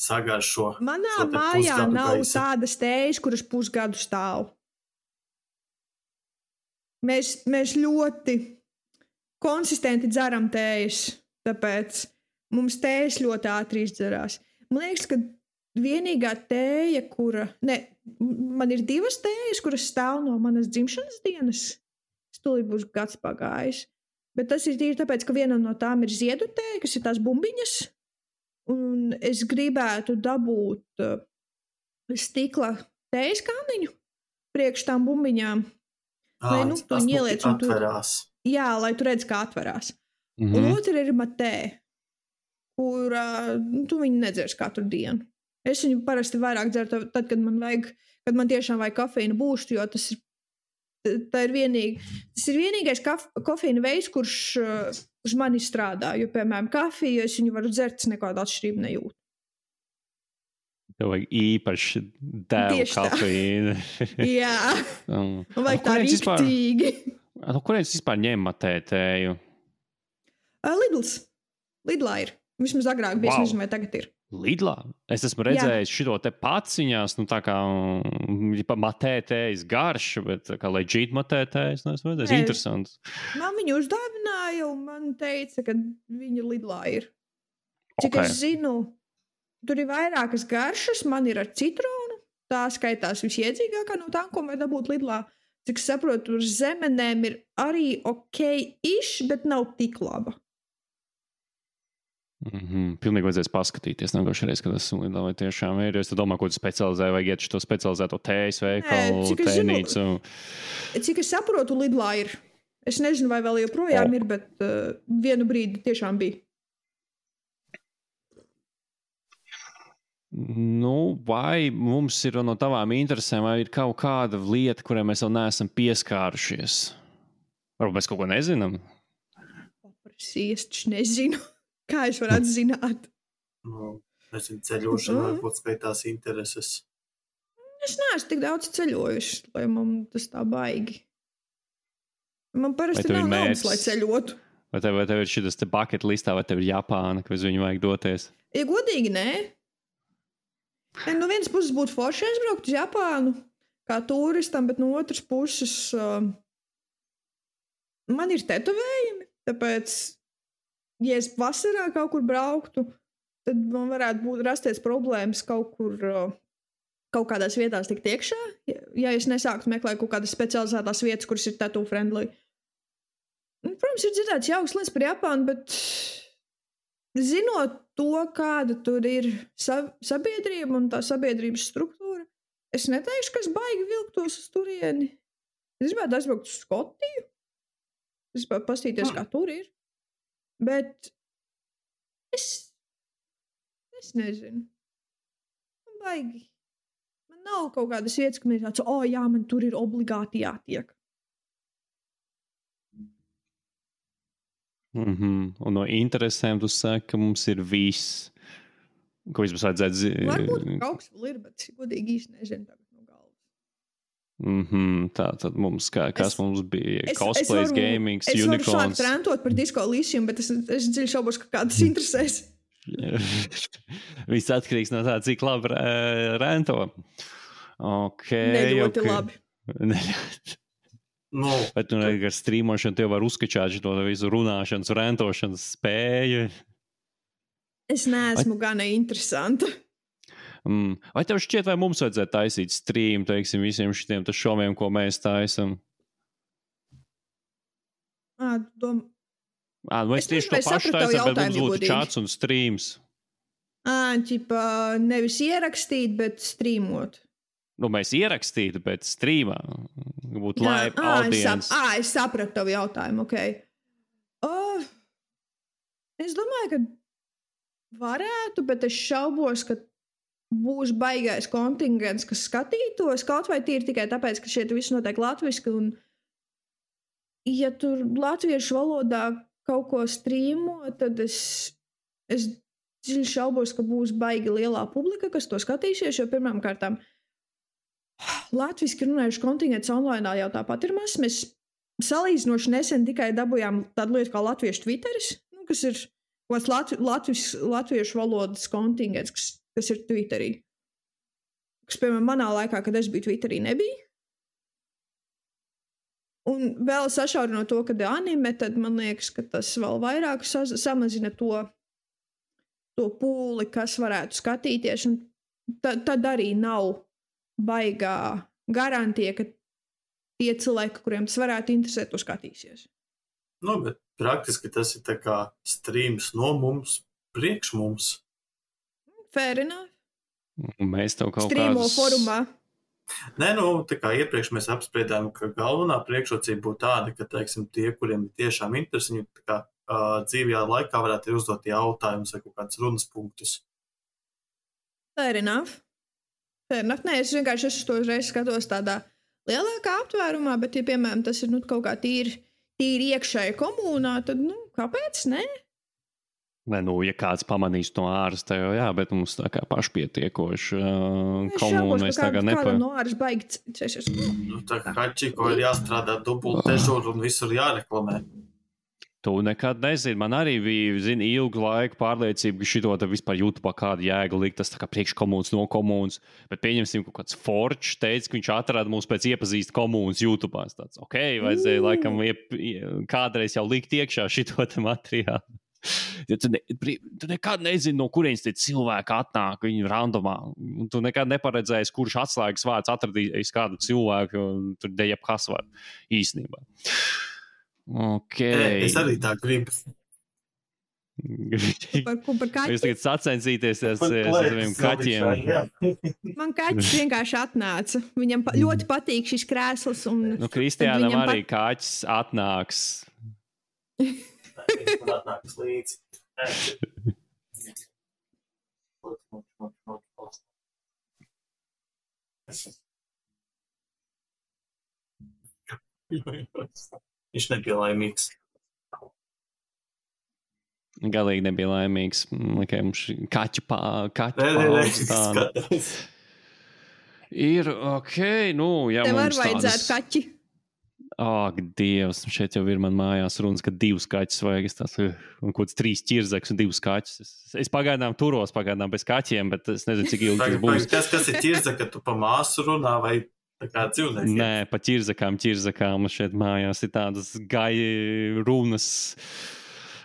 sagaršo. Manā mājā nav tādas tējas, kuras pusgadu stāv. Mēs ļoti konsistenti dzeram tējas, tāpēc mums tējas ļoti ātri izdzerās. Man liekas, ka vienīgā tēja, man ir 2 tējas, kuras stāv no manas dzimšanas dienas. Stulī būs gads pagājis. Bet tas ir tīri tāpēc, ka viena no tām ir ziedu tēja, kas ir tās bumbiņas. Un es gribētu dabūt stikla tējas kāniņu priekš tām bumbiņām. Tas atverās. Jā, lai tu redz, kā atverās. Un otra ir matē, kur tu viņu nedzers katru dienu. Es viņu parasti vairāk dzeru tad, kad man tiešām vajag kafīnu būstu, jo tas ir vienīgais kofīna veids, kurš uz mani strādā. Jo, piemēram, kafiju, es viņu varu dzert, nekādu atšķirību nejūtu. Tev vajag īpaši dēlu kafīnu. Jā. Un vajag tā riktīgi. Kurienes vispār ņem matētēju? Lidlā ir. Vismaz agrāk bija, es nezinu, vai tagad ir. Lidlā? Es esmu redzējis šito te paciņās, tā kā matētējas garš, bet tā kā legit matētējas, esmu redzējis. Interesants. Man viņu uzdāvināja, un man teica, ka viņa Lidlā ir. Cik es zinu, tur ir vairākas garšas, man ir ar citronu, tā skaitās visiedzīgākā no tām, ko var dabūt Lidlā. Cik es saprotu, tur zemenēm ir arī ok-ish, bet nav tik laba. Pilnīgi vajadzēs paskatīties nākošais, kad esmu Lidlā, vai tiešām ir. Es domāju, ko tu specializēji, vajag iet šo specializēto tējas veikalu, tēnīcu. Cik es saprotu, Lidlā ir. Es nezinu, vai vēl joprojām ir, bet vienu brīdi tiešām bija. Vai mums ir no tavām interesēm, vai ir kaut kāda lieta, kurai mēs vēl neesam pieskārušies? Varbūt mēs kaut ko nezinām? Es nezinu. Kā es varētu zināt? Nezinu, ceļošana varbūt skaitās intereses. Es neesmu tik daudz ceļojuši, lai man tas tā baigi. Man parasti nav naudas, lai ceļotu. Vai tev ir šitas te bucket listā, vai tev ir Japāna, ka uz viņu vajag doties? Ja godīgi, nē. No vienas puses būtu forši aizbraukt uz Japānu kā turistam, bet no otras puses man ir tetovējumi, tāpēc ja es vasarā kaut kur brauktu, tad man varētu rasties problēmas kaut kādās vietās tikt iekšā, ja es nesāktu meklēt kaut kādas specializētās vietas, kuras ir tattoo friendly. Protams, ir dzirdēts jauks lietas par Japānu, bet zinot to, kāda tur ir sabiedrība un tā sabiedrības struktūra, es neteikšu, ka es baigi vilktos uz turieni. Es gribētu aizbraukt uz Skotiju. Es gribētu pastīties, kā tur ir. Bet es nezinu. Man baigi. Man nav kaut kādas vietas, ka man ir tāds, jā, man tur ir obligāti jātiek. Un no interesēm tu saki, ka mums ir viss, ko vismaz vajadzētu Varbūt kaut kas vēl ir, bet godīgi īsti nezinu tagad no galvas. Tā tad mums, kas mums bija? Cosplays, gamings, unicorns. Es varu sākt rentot par Disco Elysium, bet es dziļi šaubos, ka kādas interesēs. Viss atkarīgs no tā, cik labi rento. Neļoti labi. Bet tu ar strīmošanu tev var uzskačāt šo visu runāšanas, rentošanas spēju. Es neesmu gana interesanta. Vai tev šķiet, vai mums vajadzētu taisīt stream, teiksim, visiem šitiem šoviem, ko mēs taisam? Mēs tieši to pašu taisam, bet mums būtu čats un streams. Nevis ierakstīt, bet streamot. Mēs ierakstītu, bet streamā. Būtu live audience. Es sapratu tavu jautājumu, ok. Es domāju, ka varētu, bet es šaubos, ka būs baigais kontingents, kas skatītos, kaut vai tīri tikai tāpēc, ka šeit viss notiek latviski, un ja tur latviešu valodā kaut ko strīmo, tad es dziļi šaubos, ka būs baigi lielā publika, kas to skatīsies, jo pirmām kārtām latviski runājuši kontingents online jau tāpat ir mazs. Mēs salīdzinoši nesen tikai dabujām tādu lietu kā latviešu Twitteris, kas ir latviešu valodas kontingents, kas ir Twitterī. Kas, piemēram, manā laikā, kad es biju Twitterī, nebija. Un vēl sašaurinot to, kad ir anime, tad man liekas, ka tas vēl vairāk samazina to pūli, kas varētu skatīties. Un tad arī nav baigā garantija, ka tie cilvēki, kuriem tas varētu interesēt, to skatīsies. Bet praktiski tas ir tā kā streams no mums, priekš mums. Fair enough. Mēs tev kaut Streamo formā. Nē, tā kā iepriekš mēs apspriedām, ka galvenā priekšrocība būtu tāda, ka, teiksim, tie, kuriem ir tiešām interesi, viņi tā kā dzīvajā laikā varētu uzdot jautājumus vai kaut kādus runas punktus. Fair enough. Nē, es vienkārši to uzreiz skatos tādā lielākā aptvērumā, bet, ja, piemēram, tas ir kaut kā tīri iekšēji komunā, tad, kāpēc ne? Ja kāds pamanīs no āras, tad jā, bet mums tā kā pašpietiekoši komūna mēs tagad nepa... Kādam no āras baigi cešies. Tā kā Hačiko ir jāstrādā dubult dežūru un visur jāreklamē. Tu nekad nezini. Man arī bija, ilgu laiku pārliecība, ka šito te vispār YouTube kādu jēgu likt, tas tā kā priekškomūns no komūns. Bet pieņemsim, kaut kāds Forčs teica, ka viņš atrada mūs pēc iepazīst komūnas YouTube. Tāds, vajadzēja laikam kādreiz jau likt iekšā šito te materiālu. Ja tu nekad nezini, no kurienes tie cilvēki atnāk, viņi randomā. Tu nekad neparedzēsi, kurš atslēgas vārds atradīs kādu cilvēku, jo tur jebkas var īstenībā. Es arī tā gribu. Par kaķi? Jūs tagad sacensīties ar saviem kaķiem. Man kaķis vienkārši atnāca. Viņam ļoti patīk šis krēsls. Kristiānam arī kaķis atnāks. Man atnāks līdzi. Viņš nebija laimīgs. Galīgi nebija laimīgs. Mums kaķu paaugstāna. Ir ja tev mums vajadzētu kaķi. Ak, Dievs, šeit jau ir man mājās runas, ka 2 kaķus vajag. Un kaut kāds 3 ķirzeks un 2 kaķus. Es pagaidām turos, bez kaķiem, bet es nezinu, cik ilgi tas būs. Kas ir ķirzeka, tu pa māsu runā vai tā kā dzīvnieki? Nē, pa ķirzekām. Šeit mājās ir tādas gai runas.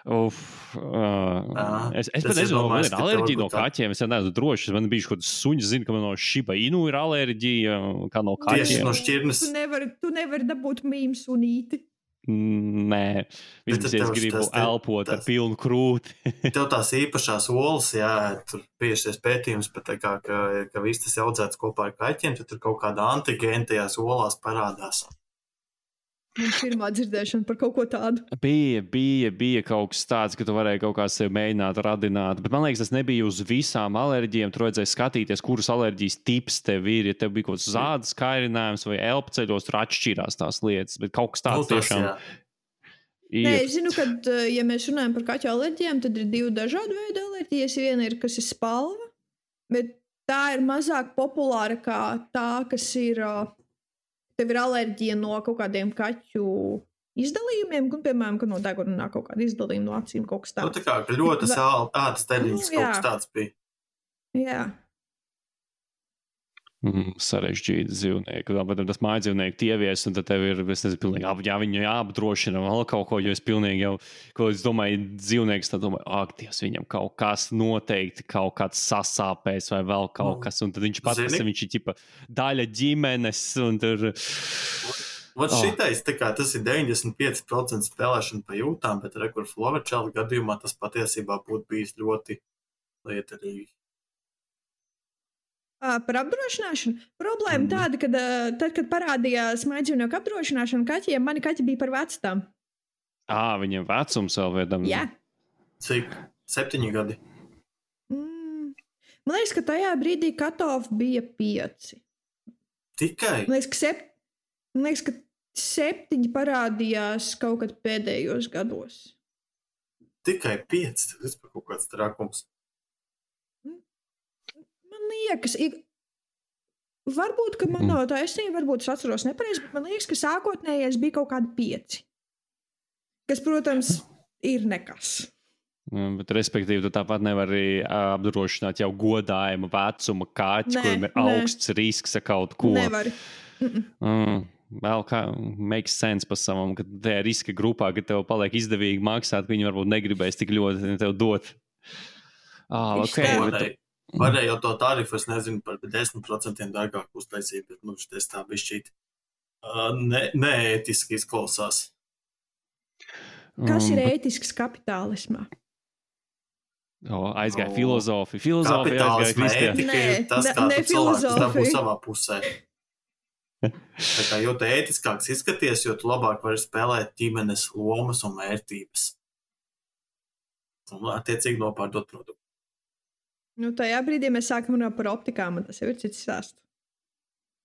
Es pat nezinu, man ir alerģija no kaķiem. Es neesmu drošs. Man bija kaut kāds suņš, zinu, ka man no Shiba Inu ir alerģija, kā no kaķiem. Tieši no šķirnes. Tu nevari dabūt mīm sunīti. Nē, vismaz es gribu elpot ar pilnu krūti. Tev tās īpašās olas, tur biežies pētījums par tā kā, ka viss tas audzēts kopā ar kaķiem, tad tur kaut kāda antigēna tajās olās parādās. Man pirmā dzirdēšana par kaut ko tādu. Bija kaut kas tāds, ka tu varēji kaut kā sev mēģināt radināt, bet man liekas, tas nebija uz visām alerģijām. Tur vajadzēja skatīties, kuras alerģijas tips tev ir. Ja tev bija kaut kāds zādas kairinājums vai elpceļos, tur atšķirās tās lietas, bet kaut kas tāds tiešām. Nē, es zinu, ka, ja mēs runājam par kaķu alerģijām, tad ir 2 dažādi veidi alerģijas. Viena ir, kas ir spalva, bet tā ir mazāk populāra kā tā, kas ir... Tev ir alerģija no kaut kādiem kaķu izdalījumiem, un, piemēram, ka no deguna nāk kaut kāda izdalījuma no acīm, kaut kas tāds. Tā kā ļoti ātras teļiņas kaut kas tāds bija. Jā. Sarežģīti dzīvnieki. Bet tas mājdzīvnieki tievies, un tad tev ir, es nezinu, pilnīgi viņu jāapdrošina vēl kaut ko, jo es pilnīgi jau, ko es domāju, dzīvnieks, tad domāju, Dievs, viņam kaut kas noteikti, kaut kāds sasāpēs vai vēl kaut kas, un tad viņš pats, viņš ir ķipa daļa ģimenes, un tur... Šitais, tā kā tas ir 95% spēlēšana pa jūtām, bet rekur Floverčāla gadījumā tas patiesībā būtu bijis ļoti lietarīgi. Par apdrošināšanu. Problēma tāda, ka tad, kad parādījās mājdzīvnieku apdrošināšana kaķiem, mani kaķi bija par vecām. Viņiem vecums vēl viedam. Jā. Cik? 7 gadi? Man liekas, ka tajā brīdī cut-off bija 5. Tikai? Man liekas, ka 7 parādījās kaut kad pēdējos gados. Tikai 5? Tas ir kaut kāds trakums. Liekas, varbūt, ka man no taisnība, varbūt es atceros nepareizi, bet man liekas, ka sākotnējais bija kaut kādi 5. Kas, protams, ir nekas. Bet, respektīvi, tu tāpat nevari apdrošināt jau godājumu vecuma kaķi, kuriem ir augsts risks ar kaut ko. Nevari. Vēl kā makes sense pa savam, ka tajā riska grupā, ka tev paliek izdevīgi maksāt, ka viņi varbūt negribēs tik ļoti tev dot. Varēja jau to tarifu, es nezinu, par 10% dārgāk uztaisīt, bet šitais tā bišķīt neētiski izklausās. Kas ir ētisks kapitālismā? Aizgāja filozofija. Filozofija aizgāja Kristiāna. Tas, kā tu cilvēks dabū savā pusē. Tā kā, jo tu ētiskāks izskaties, jo tu labāk vari spēlēt ģimenes lomas un vērtības. Un attiecīgi nopārdot produktu. Tajā brīdī mēs sākam runāt par optikām, un tas jau ir cits stāsts.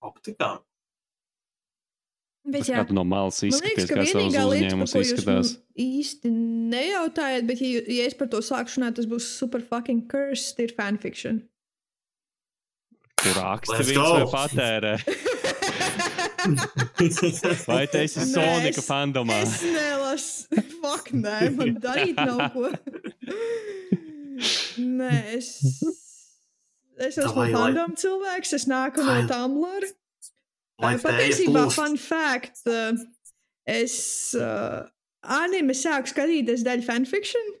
Optikām? Bet, kā tu no malas izskaties, kā savus uzņēmumus izskatās? Īsti nejautājat, bet ja es par to sāku runāt, tas būs super fucking cursed, ir fanfiction. Tu raksti viņus vai patērē? Vai tu esi Sonika fandomā? Es nelasu. Fuck, nē, man darīt nav ko. Nē, es esmu fandom cilvēks, es nāku no Tumblr. Patiesībā, fun fact, es anime sāku skatīties daļu fanfiction.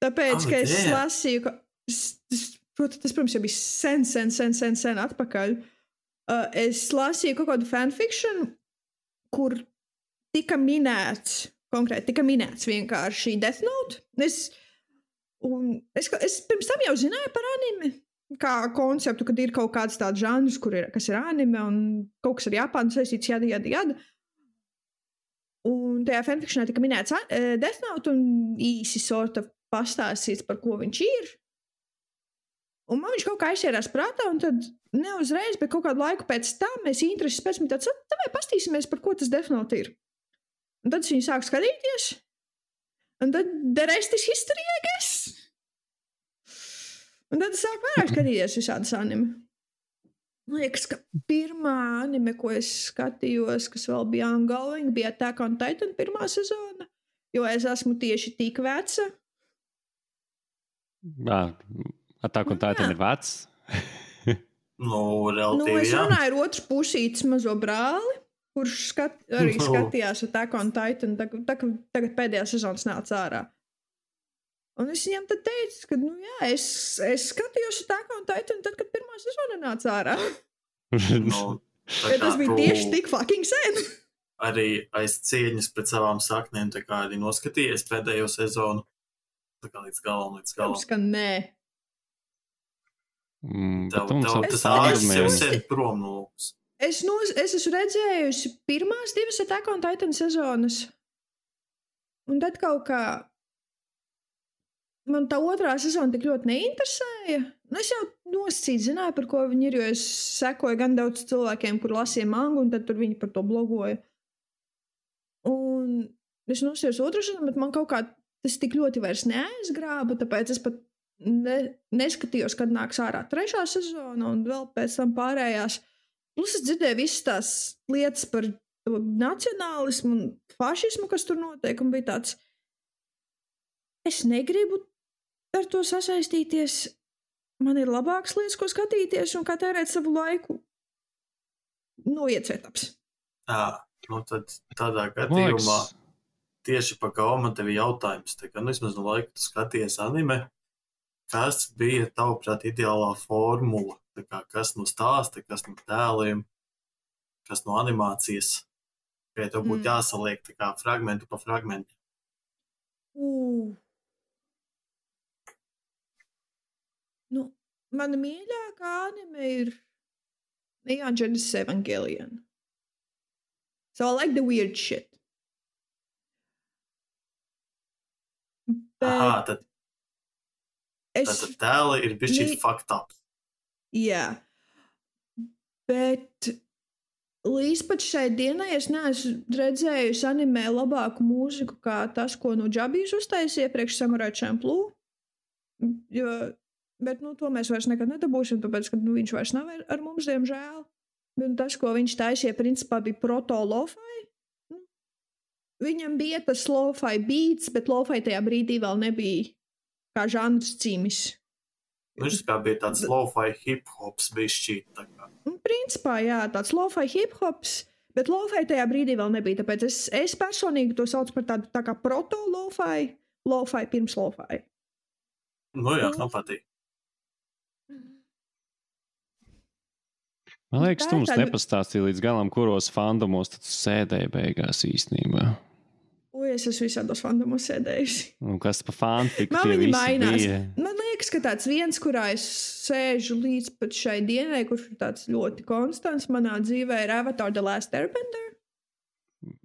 Tāpēc, ka es lasīju, tas, protams, jau bija sen atpakaļ. Es lasīju kaut kādu fanfiction, kur tika minēts vienkārši Death Note. Es pirms tam jau zināju par anime, kā konceptu, kad ir kaut kāds tāds žanrs, kas ir anime un kaut kas ar Japānu saistīts jada. Un tajā fanfictionā tika minēts Death Note un īsi sort of pastāstīts, par ko viņš ir. Un man viņš kaut kā aizsierās prātā, un tad neuzreiz, bet kaut kādu laiku pēc tam mēs intereses pēc man tāds, vai pastīsimies, par ko tas Death Note ir. Un tad es viņu sāku skatīties, un tad the rest is history, I guess. Un tad es sāku vairāk skatīties visādas anime. Man liekas, ka pirmā anime, ko es skatījos, kas vēl bija ongoing, bija Attack on Titan pirmā sezona, jo es esmu tieši tik veca. Attack on Titan ir vecs? Relatīvi, es runāju ar otru pusītes mazo brāli, kurš arī skatījās Attack on Titan, tagad pēdējā sezonas nāca ārā. Un es viņam tad teicu, ka, es skatījos Attack on Titan tad, kad pirmā sezona nāca ārā. Tas bija tieši tik fucking sen. Arī aiz cieņas pret savām saknēm, tā kā arī noskatījies pēdējo sezonu. Tā kā līdz galam. Protams, ka nē. Tas ārsts jau sen prom no lūpas. Es esmu redzējusi pirmās 2 Attack on Titan sezonas. Un tad kaut kā man tā otrā sezona tik ļoti neinteresēja. Es jau nosacīt zināju, par ko viņi ir, jo es sekoju gan daudz cilvēkiem, kur lasīja mangu, un tad tur viņi par to blogoja. Un es nosacījos otru sezonu, bet man kaut kā tas tik ļoti vairs neaizgrāba, tāpēc es pat neskatījos, kad nāks ārā 3. sezona un vēl pēc tam pārējās. Plus es dzirdēju visas tās lietas par nacionālismu un fašismu, kas tur notiek, un bija tāds, es negribu ar to sasaistīties. Man ir labākas lietas, ko skatīties un kā tērēt savu laiku. Iet svetaps. Tad tādā gadījumā tieši pa gauma tev jautājums. Tā kā, vismaz no laika tu skaties anime, kas bija tavuprāt ideālā formula? Tā kā, kas no stāsta, kas no tēliem, kas no animācijas? Vai tev būtu jāsaliek tā kā fragmentu pa fragmentu? Mana mīļākā anime ir Neon Genesis Evangelion. So I like the weird shit. Tad tēli ir bišķi fucked up. Jā. Bet līdz pat šai dienai es neesmu redzējusi animē labāku mūziku kā tas, ko Džabijs uztaisīja priekš Samurai Champloo. Bet to mēs vairs nekad nedabūsim, tāpēc, ka viņš vairs nav ar mums, diemžēl. Bet tas, ko viņš taisīja, principā bija proto-lo-fi. Viņam bija tas lo-fi beats, bet lo-fi tajā brīdī vēl nebija kā žanrs cīmis. Viņš kā bija tāds lo-fi hip-hops bišķī. Principā, jā, tāds lo-fi hip-hops, bet lo-fi tajā brīdī vēl nebija. Tāpēc es personīgi to saucu par tādu tā kā proto-lo-fi, lo-fi pirms lo-fi. Jā, man patīk. Man liekas, tu mums nepastāstīji līdz galam, kuros fandomos tad sēdēji beigās īstenībā. Es esmu visādos fandomos sēdējusi. Un kas pa fanfiku tie visi mainās. bija? Man liekas, ka tāds viens, kurā es sēžu līdz pat šai dienai, kurš ir tāds ļoti konstants manā dzīvē, ir Avatar The Last Airbender.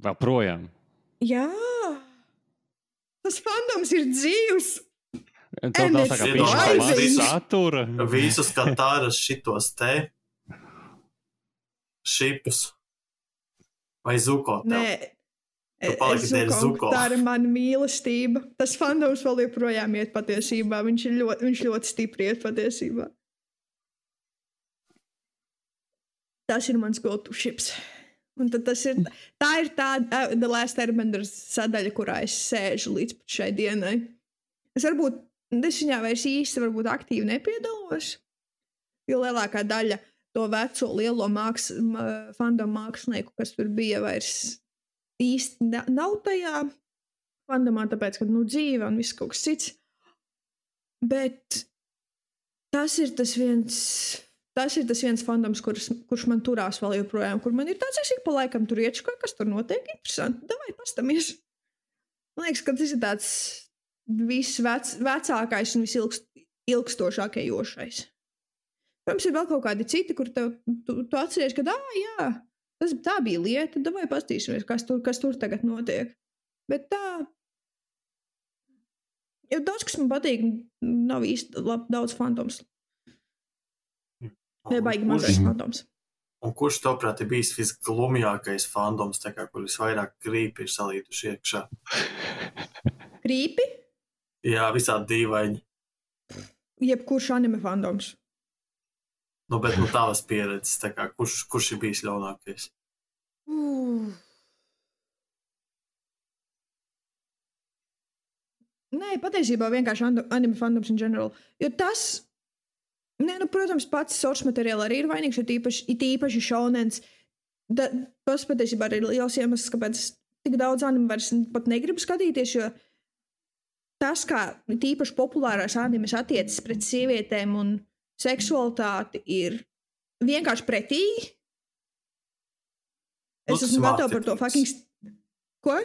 Vēl projām? Jā. Tas fandoms ir dzīvs. Tev nav tā kā pišķi satura. Visus katāras šitos te šipus. Vai Zuko tev? Nē. Zuko, tā ir mana mīlestība. Tas fandoms vēl joprojām iet patiesībā. Viņš ļoti stipri iet patiesībā. Tas ir mans go-to ships. Un tad tā ir tā The Last Airbender sadaļa, kurā es sēžu līdz šai dienai. Es viņā vairs īsti varbūt aktīvi nepiedalos, jo lielākā daļa to veco lielo fandom mākslinieku, kas tur bija, vairs īsti nav tajā fandomā, tāpēc, ka dzīve un viss kaut kas cits. Bet tas ir tas viens fandoms, kurš man turās vēl joprojām, kur man ir tāds, es ik pa laikam tur ieču, kas tur notiek, interesanti, davai pastamies. Man liekas, ka tas ir tāds visvecākais un visilgstošākais. Protams, ir vēl kaut kādi citi, kur tu atceries, ka jā, tā bija lieta, davai pastīsimies, kas tur tagad notiek. Bet tā, jo daudz, kas man patīk, nav īsti daudz fandoms. Nebaigi mazais fandoms. Un kurš, tavuprāt, ir bijis visglumjākais fandoms, kur visvairāk krīpi ir salītuši iekšā? Krīpi? Jā, visādi dīvaini. Jebkurš anime fandoms. Bet tavas pieredzes, kurš ir bijis ļaunākais? Nē, patiesībā vienkārši anime fandoms in general. Jo tas, protams, pats source materiāli arī ir vainīgs, it īpaši šaunens. Tas patiesībā ir liels iemesls, kāpēc tik daudz anime vairs pat negribu skatīties, jo tas, kā tīpaši populārās animes attiecas pret sievietēm un seksualitāti, ir vienkārši pretīgi. Es esmu gatava par to fucking... Ko?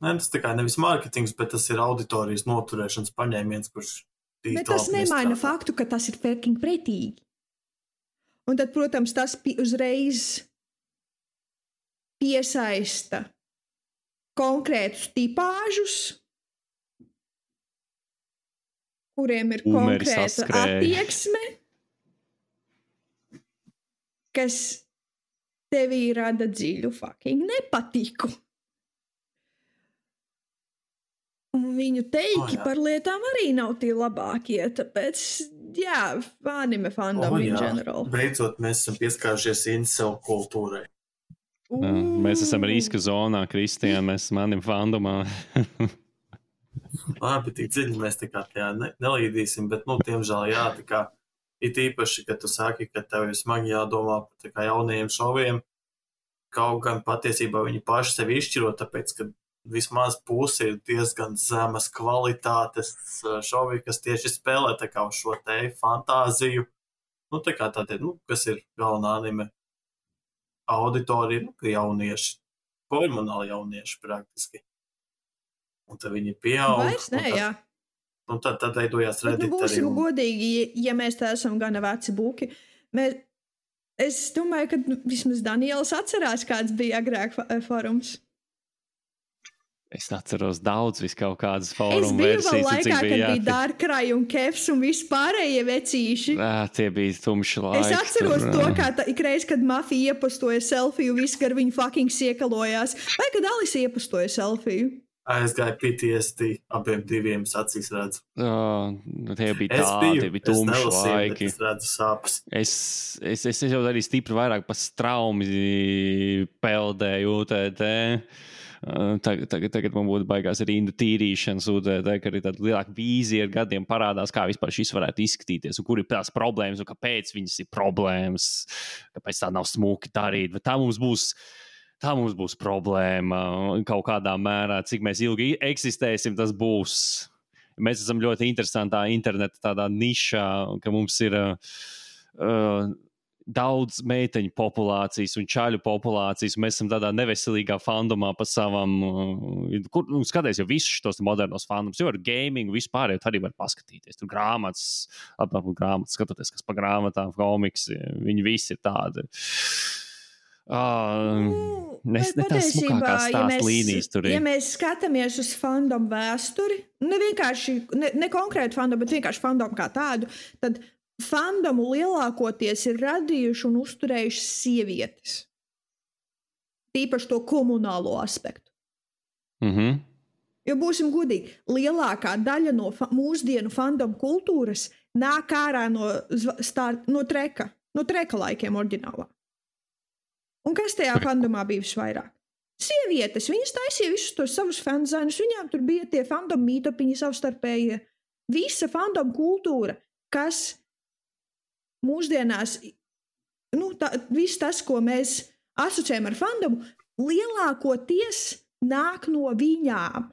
Nē, tas nevis mārketings, bet tas ir auditorijas noturēšanas paņēmiens, kurš... Bet tas nemaina faktu, ka tas ir fucking pretīgi. Un tad, protams, tas uzreiz piesaista konkrētus tipāžus, kuriem ir konkrēta attieksme, kas tevī rada dziļu fucking nepatiku. Un viņu teiki par lietām arī nav tie labākie, tāpēc, jā, anime fandom in general. Beidzot, mēs esam pieskārušies incel kultūrai. Mēs esam riska zonā, Kristiāna, mēs esam anime fandomā. Labi, tik dziļi mēs tajā nelīdīsim, bet, tiemžēl, jā, it īpaši, ka tu saki, ka tev ir smagi jādomā par jaunajiem šoviem, kaut gan patiesībā viņi paši sevi izšķiro, tāpēc, ka vismaz pusi ir diezgan zemas kvalitātes šovi, kas tieši spēlē uz šo te fantāziju. Kas ir galvenā anime auditorija, jaunieši, hormonāli jaunieši praktiski. Un tad viņi pieaug. Vairs ne, jā. Un tad veidojās Reddit arī. Būsim godīgi, ja mēs tā esam gana veci buki. Es domāju, ka vismaz Daniels atcerās, kāds bija agrāk forums. Es atceros daudz kaut kādas fóruma versijas. Es biju vēl laikā, kad bija Darkrai un Kefs un vispārējie vecīši. Tie bija tumši laiki. Es atceros to, kā ikreiz, kad Mafija iepostoja selfiju, visi gar viņu fucking siekalojās. Vai kad Alisa iepostoja selfiju? Es gāju PTSD, abiem diviem acīs redzu. Tie bija tumši laiki. Es redzu sāpes. Es jau arī stipri vairāk pa straumi peldēju UTT. Tagad man būtu baigās rindu tīrīšanas UTT, ka arī tāda lielāka vīzija ar gadiem parādās, kā vispār šis varētu izskatīties, un kur ir tās problēmas, un kāpēc viņas ir problēmas, kāpēc tā nav smuki darīt. Bet tā mums būs problēma kaut kādā mērā, cik mēs ilgi eksistēsim, tas būs. Mēs esam ļoti interesantā interneta tādā nišā, ka mums ir daudz meiteņu populācijas un čaļu populācijas, un mēs esam tādā neveselīgā fandomā pa savam, skaties jau visus šos modernos fandomus, jo ar gaming vispār jau arī var paskatīties. Tur grāmatas, skatoties, kas pa grāmatām, komiks, viņi visi ir tādi. Ne tās smukākās stāst līnijas tur ir. Ja mēs skatāmies uz fandom vēsturi, ne konkrēti fandom, bet vienkārši fandom kā tādu, tad fandomu lielākoties ir radījuši un uzturējuši sievietes. Tīpaši to komunālo aspektu. Jo būsim godīgi, lielākā daļa no mūsdienu fandomu kultūras nāk ārā no treka laikiem oriģinālā. Un kas tajā fandomā bija visvairāk? Sievietes, viņas taisīja visus tos savus fanzainus, viņām tur bija tie fandom meetupiņi savstarpējie. Visa fandom kultūra, kas mūsdienās, viss tas, ko mēs asociējam ar fandomu, lielākoties nāk no viņām.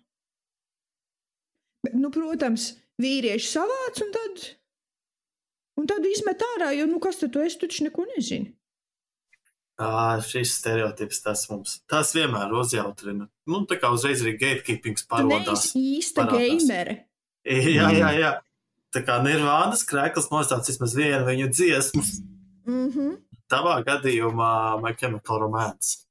Bet, protams, vīrieši savāc un tad izmet ārā, jo, kas tad tu esi, tu taču neko nezini. Šis stereotips, tas vienmēr uzjautrina. Tā kā uzreiz arī gatekeepings parodās. Tu neesi īsta gamere. Jā. Tā kā Nirvānas Krekls nostāds vismaz vienu viņu dziesmu. Tavā gadījumā My Chemical Romance.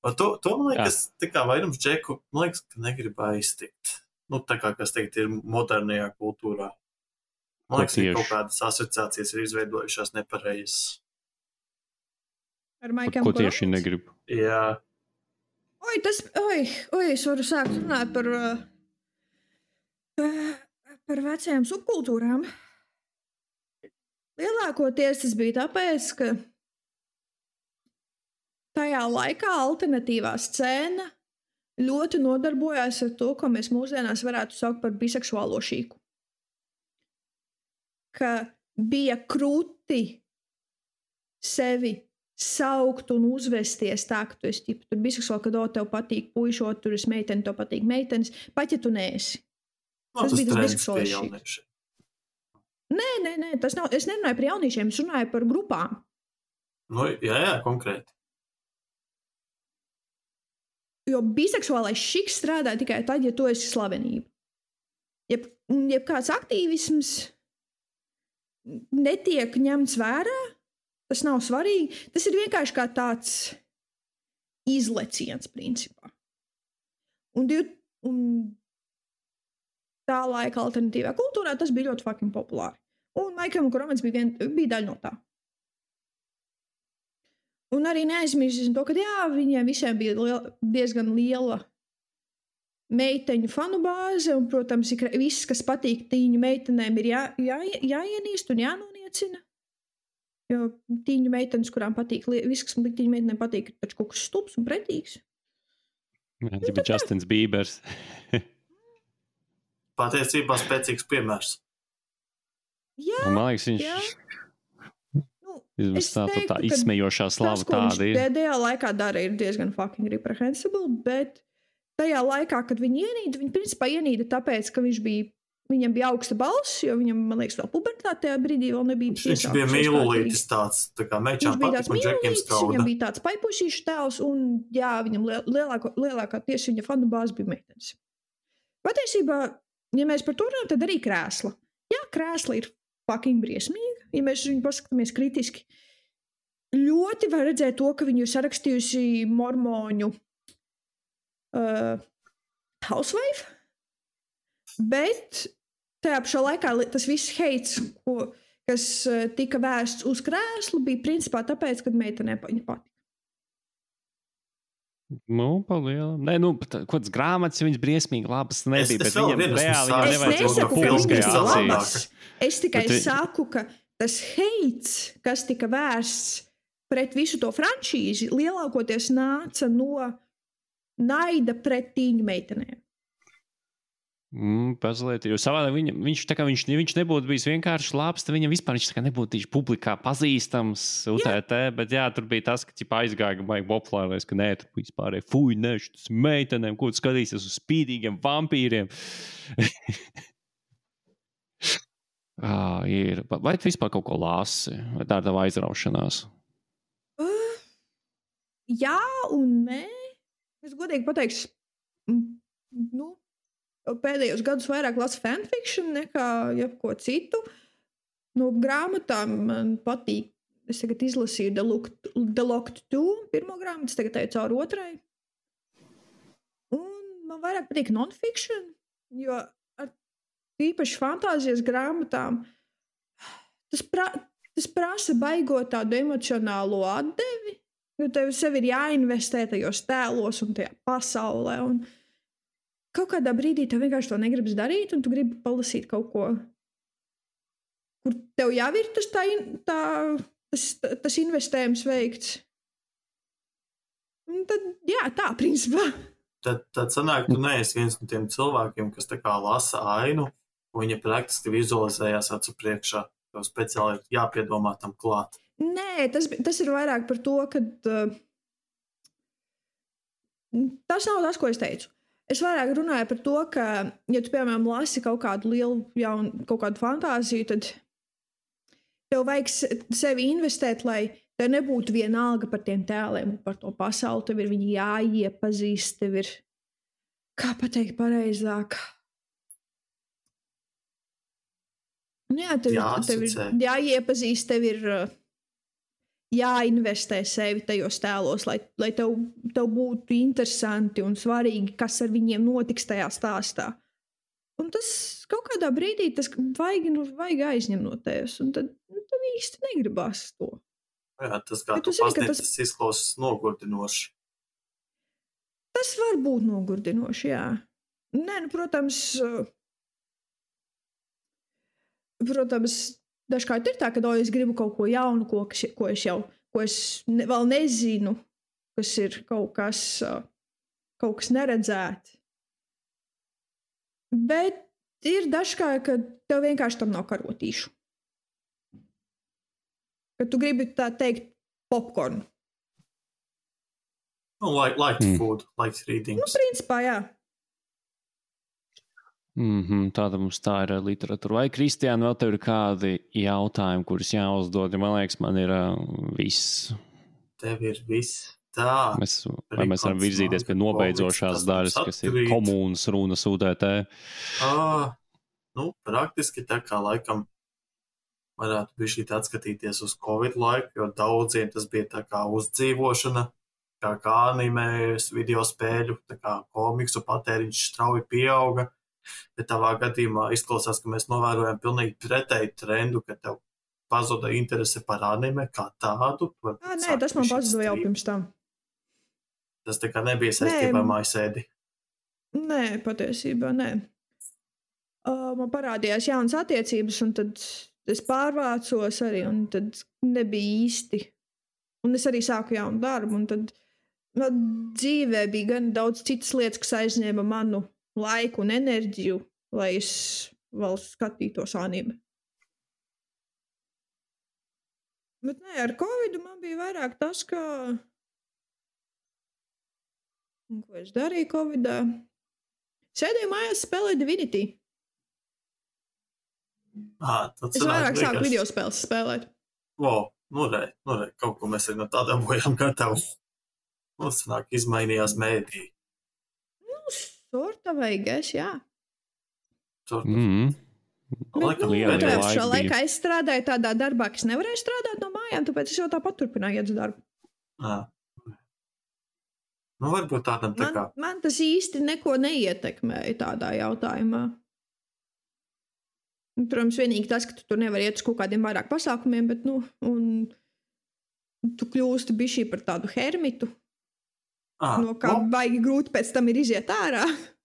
To man liekas, tā kā vairums džeku, man liekas, ka negrib aiztikt. Tā kā, kas teikt, ir modernajā kultūrā. Man liekas, ka kaut kādas asociācijas ir izveidojušās nepareizas. Ar My Chemical Ko tieši negrib? Jā. Es varu sākt runāt par vecajām subkultūrām. Lielākoties tas bija tāpēc, ka tajā laikā alternatīvā scēna ļoti nodarbojās ar to, ko mēs mūsdienās varētu saukt par biseksuālo šīku. Ka bija krūti sevi saukt un uzvesties tā, ka tu esi ķipa, tur biseksuāli, kad tev patīk puišot, tur esi meiteni, tev patīk meitenes, pat ja tu neesi. Tas bija tas biseksuālis šīks. Nē, tas nav, es nerunāju par jauniešiem, es runāju par grupām. Jā, konkrēti. Jo biseksuālais šiks strādā tikai tad, ja tu esi slavenība. Ja kāds aktīvisms netiek ņemts vērā, tas nav svarīgi. Tas ir vienkārši kā tāds izleciens, principā. Un tā laika alternatīvā kultūrā tas bija ļoti fucking populāri. Un My Chemical Romance bija daļa no tā. Un arī neaizmirsīsim to, ka viņiem visiem bija diezgan liela meiteņu fanu bāze, un, protams, viss, kas patīk tīņu meitenēm, ir jāienīst un jānoniecina. Jo tīņu meitenes, kurām patīk, viss, kas tīņu meitenēm patīk, ir taču kaut kas stulbs un pretīgs. Tas bija Justins Biebers. Patiesībā spēcīgs piemērs. Jā, man liekas, viņš tā izsmejošā slava tāda ir. Pēdējā laikā dara ir diezgan fucking reprehensible, bet tajā laikā, kad viņi ienīda, viņi principā ienīda tāpēc, ka viņam bija augsta balss, jo viņam, man liekas, vēl pubertāte tajā brīdī vēl nebija. Viņš bija mīlulītis tāds, tā kā mečām patīk un džekiem skauda. Viņam bija tāds paipušīšu tēls, un jā, viņam lielākā tieši viņa fanu bāze bija meitenes. Patiesībā, ja mēs par to runājam, tad arī krēsla. Jā, krēsla ir fucking briesmīga. Ja mēs viņu paskatāmies kritiski, ļoti var redzēt to, ka viņu ir sarakstījusi mormoņu housewife, bet tajā pašā laikā tas viss heits, kas tika vērsts uz krēslu, bija principā tāpēc, kad meitenē viņa patika. Palielam. Nē, kāds grāmatas, viņas briesmīgi labas nebija, bet viņam reāli nevajadzētu publiskajā labas. Es tikai saku, ka tas heits, kas tika vērsts pret visu to franšīzi, lielākoties nāca no naida pret tīņu meitenēm. Pazliet, jo savādāk viņš nebūtu bijis vienkārši labs, tad viņam vispār viņš nebūtu tieši publikā pazīstams UTT, bet jā, tur bija tas, ka aizgāja baigi populārais, ka nē, tur vispār fuj, nē, šis meitenēm, ko tu skatīsies uz spīdīgiem vampīriem. Ir. Vai tu vispār kaut ko lasi? Vai tā ir tava aizraušanās? Jā un nē. Es godīgi pateikšu, pēdējos gadus vairāk lasu fanfiction nekā jebko citu. No grāmatām man patīk. Es tagad izlasīju The Locked 2, pirmo grāmatu, es tagad eju cauri otrai. Un man vairāk patīk non-fiction, jo ar īpaši fantāzijas grāmatām tas prasa baigot tādu emocionālo atdevi, jo tev sev ir jāinvestē tajos tēlos un tajā pasaulē. Un kaut kādā brīdī tev vienkārši to negribas darīt, un tu gribi palasīt kaut ko, kur tev jau ir tas investējums veikts. Un tad, jā, tā, principā. Tad sanāk, tu neesi viens no tiem cilvēkiem, kas tā kā lasa ainu, un viņa praktiski vizualizējās acu priekšā. Tev speciāli ir jāpiedomā tam klāt. Nē, tas ir vairāk par to, ka tas nav tas, ko es teicu. Es vairāk runāju par to, ka, ja tu, piemēram, lasi kaut kādu lielu jaunu, kaut kādu fantāziju, tad tev vajag sevi investēt, lai tev nebūtu vienalga par tiem tēliem, par to pasauli. Tev ir viņi jāiepazīst, tev ir, kā pateikt pareizāk. Jā, tev ir jāiepazīst, tev ir jāinvestē sevi tajos tēlos, lai tev būtu interesanti un svarīgi, kas ar viņiem notiks tajā stāstā. Un tas kaut kādā brīdī tas vajag aizņemt no tevis, un tad īsti negribas to. Jā, tas kā tu pasniedz, tas izklausās nogurdinoši. Tas var būt nogurdinoši, jā. Nē, nu, protams, dažkārt ir tā, ka es gribu kaut ko jaunu, ko es vēl nezinu, kas ir kaut kas neredzēt. Bet ir dažkārt, ka tev vienkārši tam nav karotīšu. Ka tu gribi tā teikt popcorn. Nu, like food, like reading. Nu, principā, jā. Tāda mums tā ir literatūra. Vai, Kristiāna, vēl tev ir kādi jautājumi, kurus jāuzdod? Man liekas, man ir viss. Tev ir viss. Tā. Mēs varam virzīties pie nobeidzošās daļas, kas ir komūnas runas UDT. Nu, praktiski tā kā laikam varētu bišķīt atskatīties uz Covid laiku, jo daudziem tas bija tā kā uzdzīvošana, kā animējas, video spēļu, tā kā komiksu patēriņš strauji pieauga. Bet tavā gadījumā izklausās, ka mēs novērojam pilnīgi pretēju trendu, ka tev pazuda interese par anime kā tādu. Nē, tas man pazuda jau pirms tam. Tas tā kā nebija saistībā ar mājasēdi. Nē, patiesībā nē. Man parādījās jaunas attiecības, un tad es pārvācos arī, un tad nebija īsti. Un es arī sāku jaunu darbu, un tad dzīvē bija gan daudz citas lietas, kas aizņēma manu laiku un enerģiju, lai es vēl skatītos anime. Bet nē, ar Covidu man bija vairāk tas, ka... Un ko es darīju Covidā? Sēdēju mājās, spēlēju Divinity. Es vairāk sāku video spēles spēlēt. Nu re, kaut ko mēs arī no tādā bojām gatavu. Mums sanāk izmainījās mēdī. Sorta vajag, jā. Šā laikā es strādāju tādā darbā, kas nevarēja strādāt no mājām, tāpēc es jau tāpat turpināju iet uz darbu. Nu, varbūt tādam tā kā. Man tas īsti neko neietekmēja tādā jautājumā. Protams, vienīgi tas, ka tu tur nevar iet uz kaut kādiem vairāk pasākumiem, bet, un tu kļūsti bišķi par tādu hermitu. No kā baigi grūti pēc tam ir iziet ārā.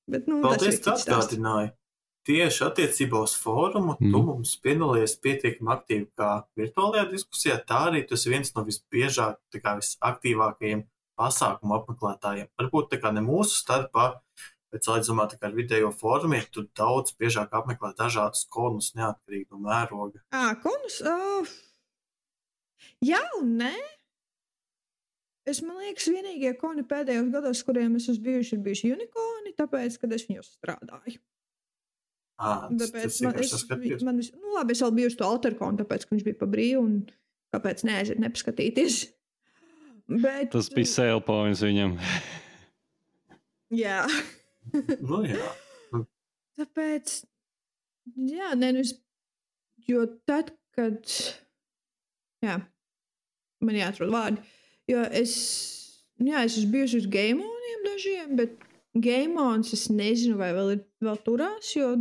Bet, paldies, ka atgādināji. Tieši attiecībā uz fórumu tu mums piedalījies pietiekami aktīvi kā virtuālajā diskusijā, tā arī tu esi viens no visbiežāk, tā kā visaktīvākajiem pasākumu apmeklētājiem. Varbūt tā kā ne mūsu starpā, bet salīdzinājumā tā kā ar video fórumiem, tu daudz biežāk apmeklē dažādus konus neatkarīgi no mēroga. Konus? Jā un nē. Man liekas, vienīgie koni pēdējos gados, kuriem es esmu bijuši, ir bijuši unikoni, tāpēc, kad es viņos strādāju. Tas labi, es vēl biju uz to alterkonu, tāpēc, ka viņš bija pa brīvu, un kāpēc neaiziet nepaskatīties. Bet... Tas bija sale points viņam. Jā. Jā. Tāpēc, jā, jo tad, kad, man jāatrod vārdi, jo es esmu bijusi uz Gameoniem dažiem, bet Gameons es nezinu, vai vēl turās, jo,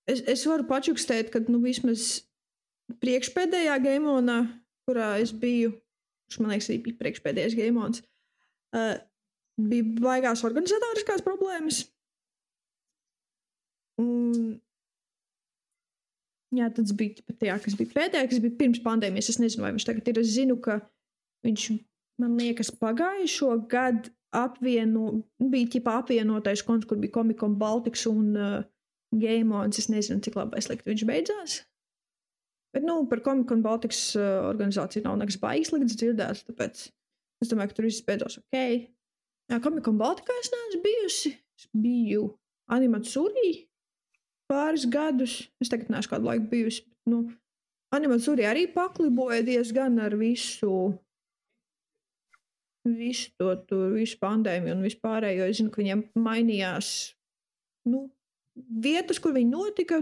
es varu pačukstēt, kad, vismaz priekšpēdējā Gameonā, kurā es biju, man liekas, arī bija priekšpēdējais Gameons, bija baigās organizatoriskās problēmas. Un, jā, tas bija tajā, kas bija pēdējā, kas bija pirms pandēmijas. Es nezinu, vai viņš tagad ir. Es zinu, ka viņš man liekas, pagājušo gadu bija apvienotais konts, kur bija Comic-Con Baltics un Game On. Es nezinu, cik labi slikti viņš beidzās. Bet, par Comic-Con Baltics organizāciju nav nekas baigas slikts dzirdēts, tāpēc es domāju, ka tur viss beidzās ok. Jā, Comic-Con Baltikā es neesmu bijusi. Es biju Animatsuri pāris gadus. Es tagad neesmu kādu laiku bijusi. Bet, Animatsuri arī pakliboja diezgan ar visu pandēmiju un vispārējo. Es zinu, ka viņiem mainījās vietas, kur viņi notika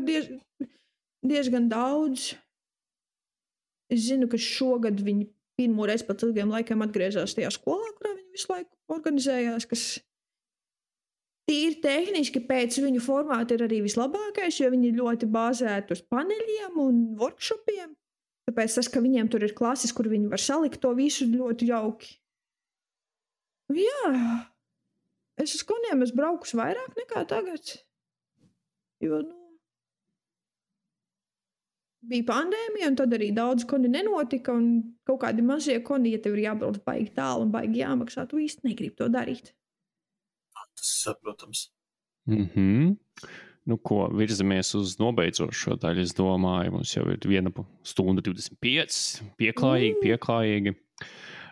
diezgan daudz. Es zinu, ka šogad viņi pirmo reizi pēc ilgiem laikiem atgriezās tajā skolā, kurā viņi visu laiku organizējās, kas tīri tehniski pēc viņu formāta ir arī vislabākais, jo viņi ļoti bāzēti uz paneļiem un workshopiem. Tāpēc tas, ka viņiem tur ir klases, kur viņi var salikt to visu ļoti jauki. Jā, es uz koniem esmu braukus vairāk nekā tagad, jo, bija pandēmija, un tad arī daudz koni nenotika, un kaut kādi mazie koni, ja tev ir jābrauc baigi tālu un baigi jāmaksā, tu īsti negribi to darīt. Tas saprotams. Virzamies uz nobeidzošo daļu, es domāju, mums jau ir 1:25, pieklājīgi.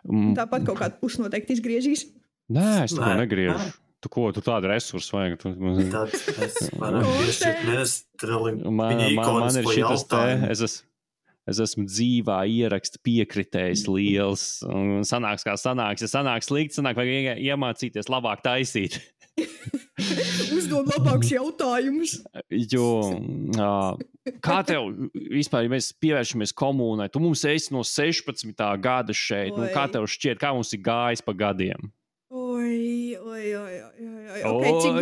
Tāpat kaut kādu pusi noteikti izgriežīs. Nē, es to negriežu. Tu tādu resursu vajag? Mēs varam piešķirt nestreliņu. Man ir šitas te, es esmu dzīvā ieraksta piekritējs liels. Sanāks kā sanāks. Ja sanāks slikti, vajag iemācīties labāk taisīt. Uzdod labākus jautājumus. Jo, kā tev vispār, ja mēs pievēršamies komunai, tu mums esi no 16. gada šeit, kā tev šķiet, kā mums ir gājis pa gadiem? Okay, cik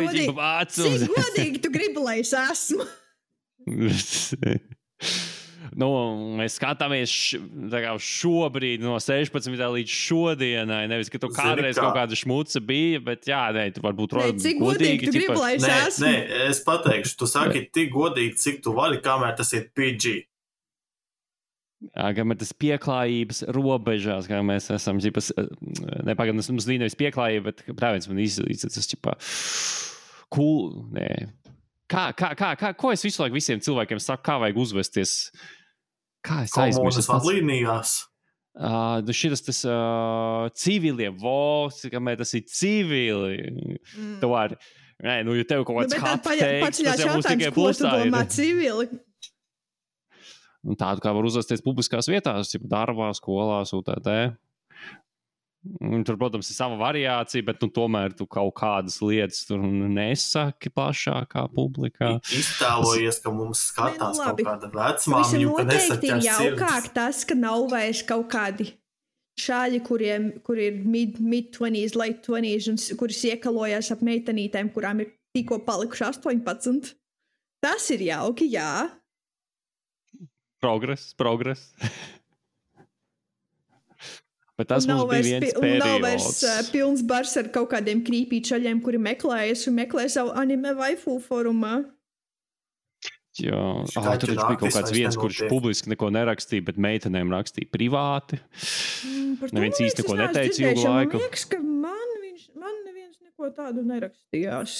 godīgi tu gribi, lai es esmu? Mēs skatāmies šobrīd no 16. līdz šodienai, nevis, ka tu kādreiz kaut kāda šmuca bija, bet tu varbūt cik godīgi tu gribi, lai es esmu? Nē, es pateikšu, tu saki tik godīgi, cik tu vari, kamēr tas ir PG. Kamēr tas pieklājības robežās, kā mēs esam, nepagaidām, mums nevis pieklājība, bet prāviens man izcētas, cool, nē. Ko es visu laiku visiem cilvēkiem saku, kā vajag uzvesties? Kā es aizmirstu? Komunas vadlīnijās? Šitas civilie vosi, kamēr tas ir civili. Tu vari, ja tev kaut kāds hot takes, tas jau būs tikai plusā. Ko tu domā civili? Tādu kā var uzvesties publiskās vietās, darbā, skolās, UTT. Tur, protams, ir sava variācija, bet tomēr tu kaut kādas lietas tur nesaki plašākā publikā. Iztēlojies, ka mums skatās kaut kāda vecmāmiņu, ka nesaķers jaukāk tas, ka nav vairs kaut kādi šāļi, kuri ir mid-20s, late 20s, un kuris iekalojās ap meitenītēm, kurām ir tikko palikuši 18. Tas ir jauki, jā. Progress. Bet tas mums bija viens periods. Nav vairs pilns bars ar kaut kādiem krīpīčaļiem, kuri meklē savu anime waifu forumā. Jā, tur bija kaut kāds viens, kurš publiski neko nerakstīja, bet meitenēm rakstīja privāti. Neviens īsti neko neteica ilgu laiku. Man liekas, ka man neviens neko tādu nerakstījās.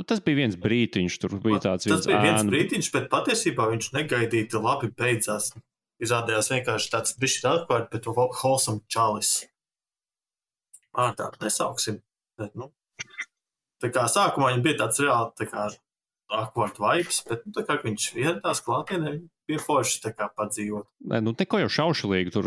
Tas bija viens brītiņš, tur bija tāds viens. Tas bija viens brītiņš, bet patiesībā viņš negaidīti labi beidzās. Izrādījās vienkārši tāds bišķi atkārt, bet wholesome čalis. Tādu nesauksim. Bet, tā kā sākumā viņam bija tāds reāli, tā kā awkward vibes, bet, tā kā viņš ieradās klātienē, bija forši tā kā padzīvot. Neko jau šaušalīgi tur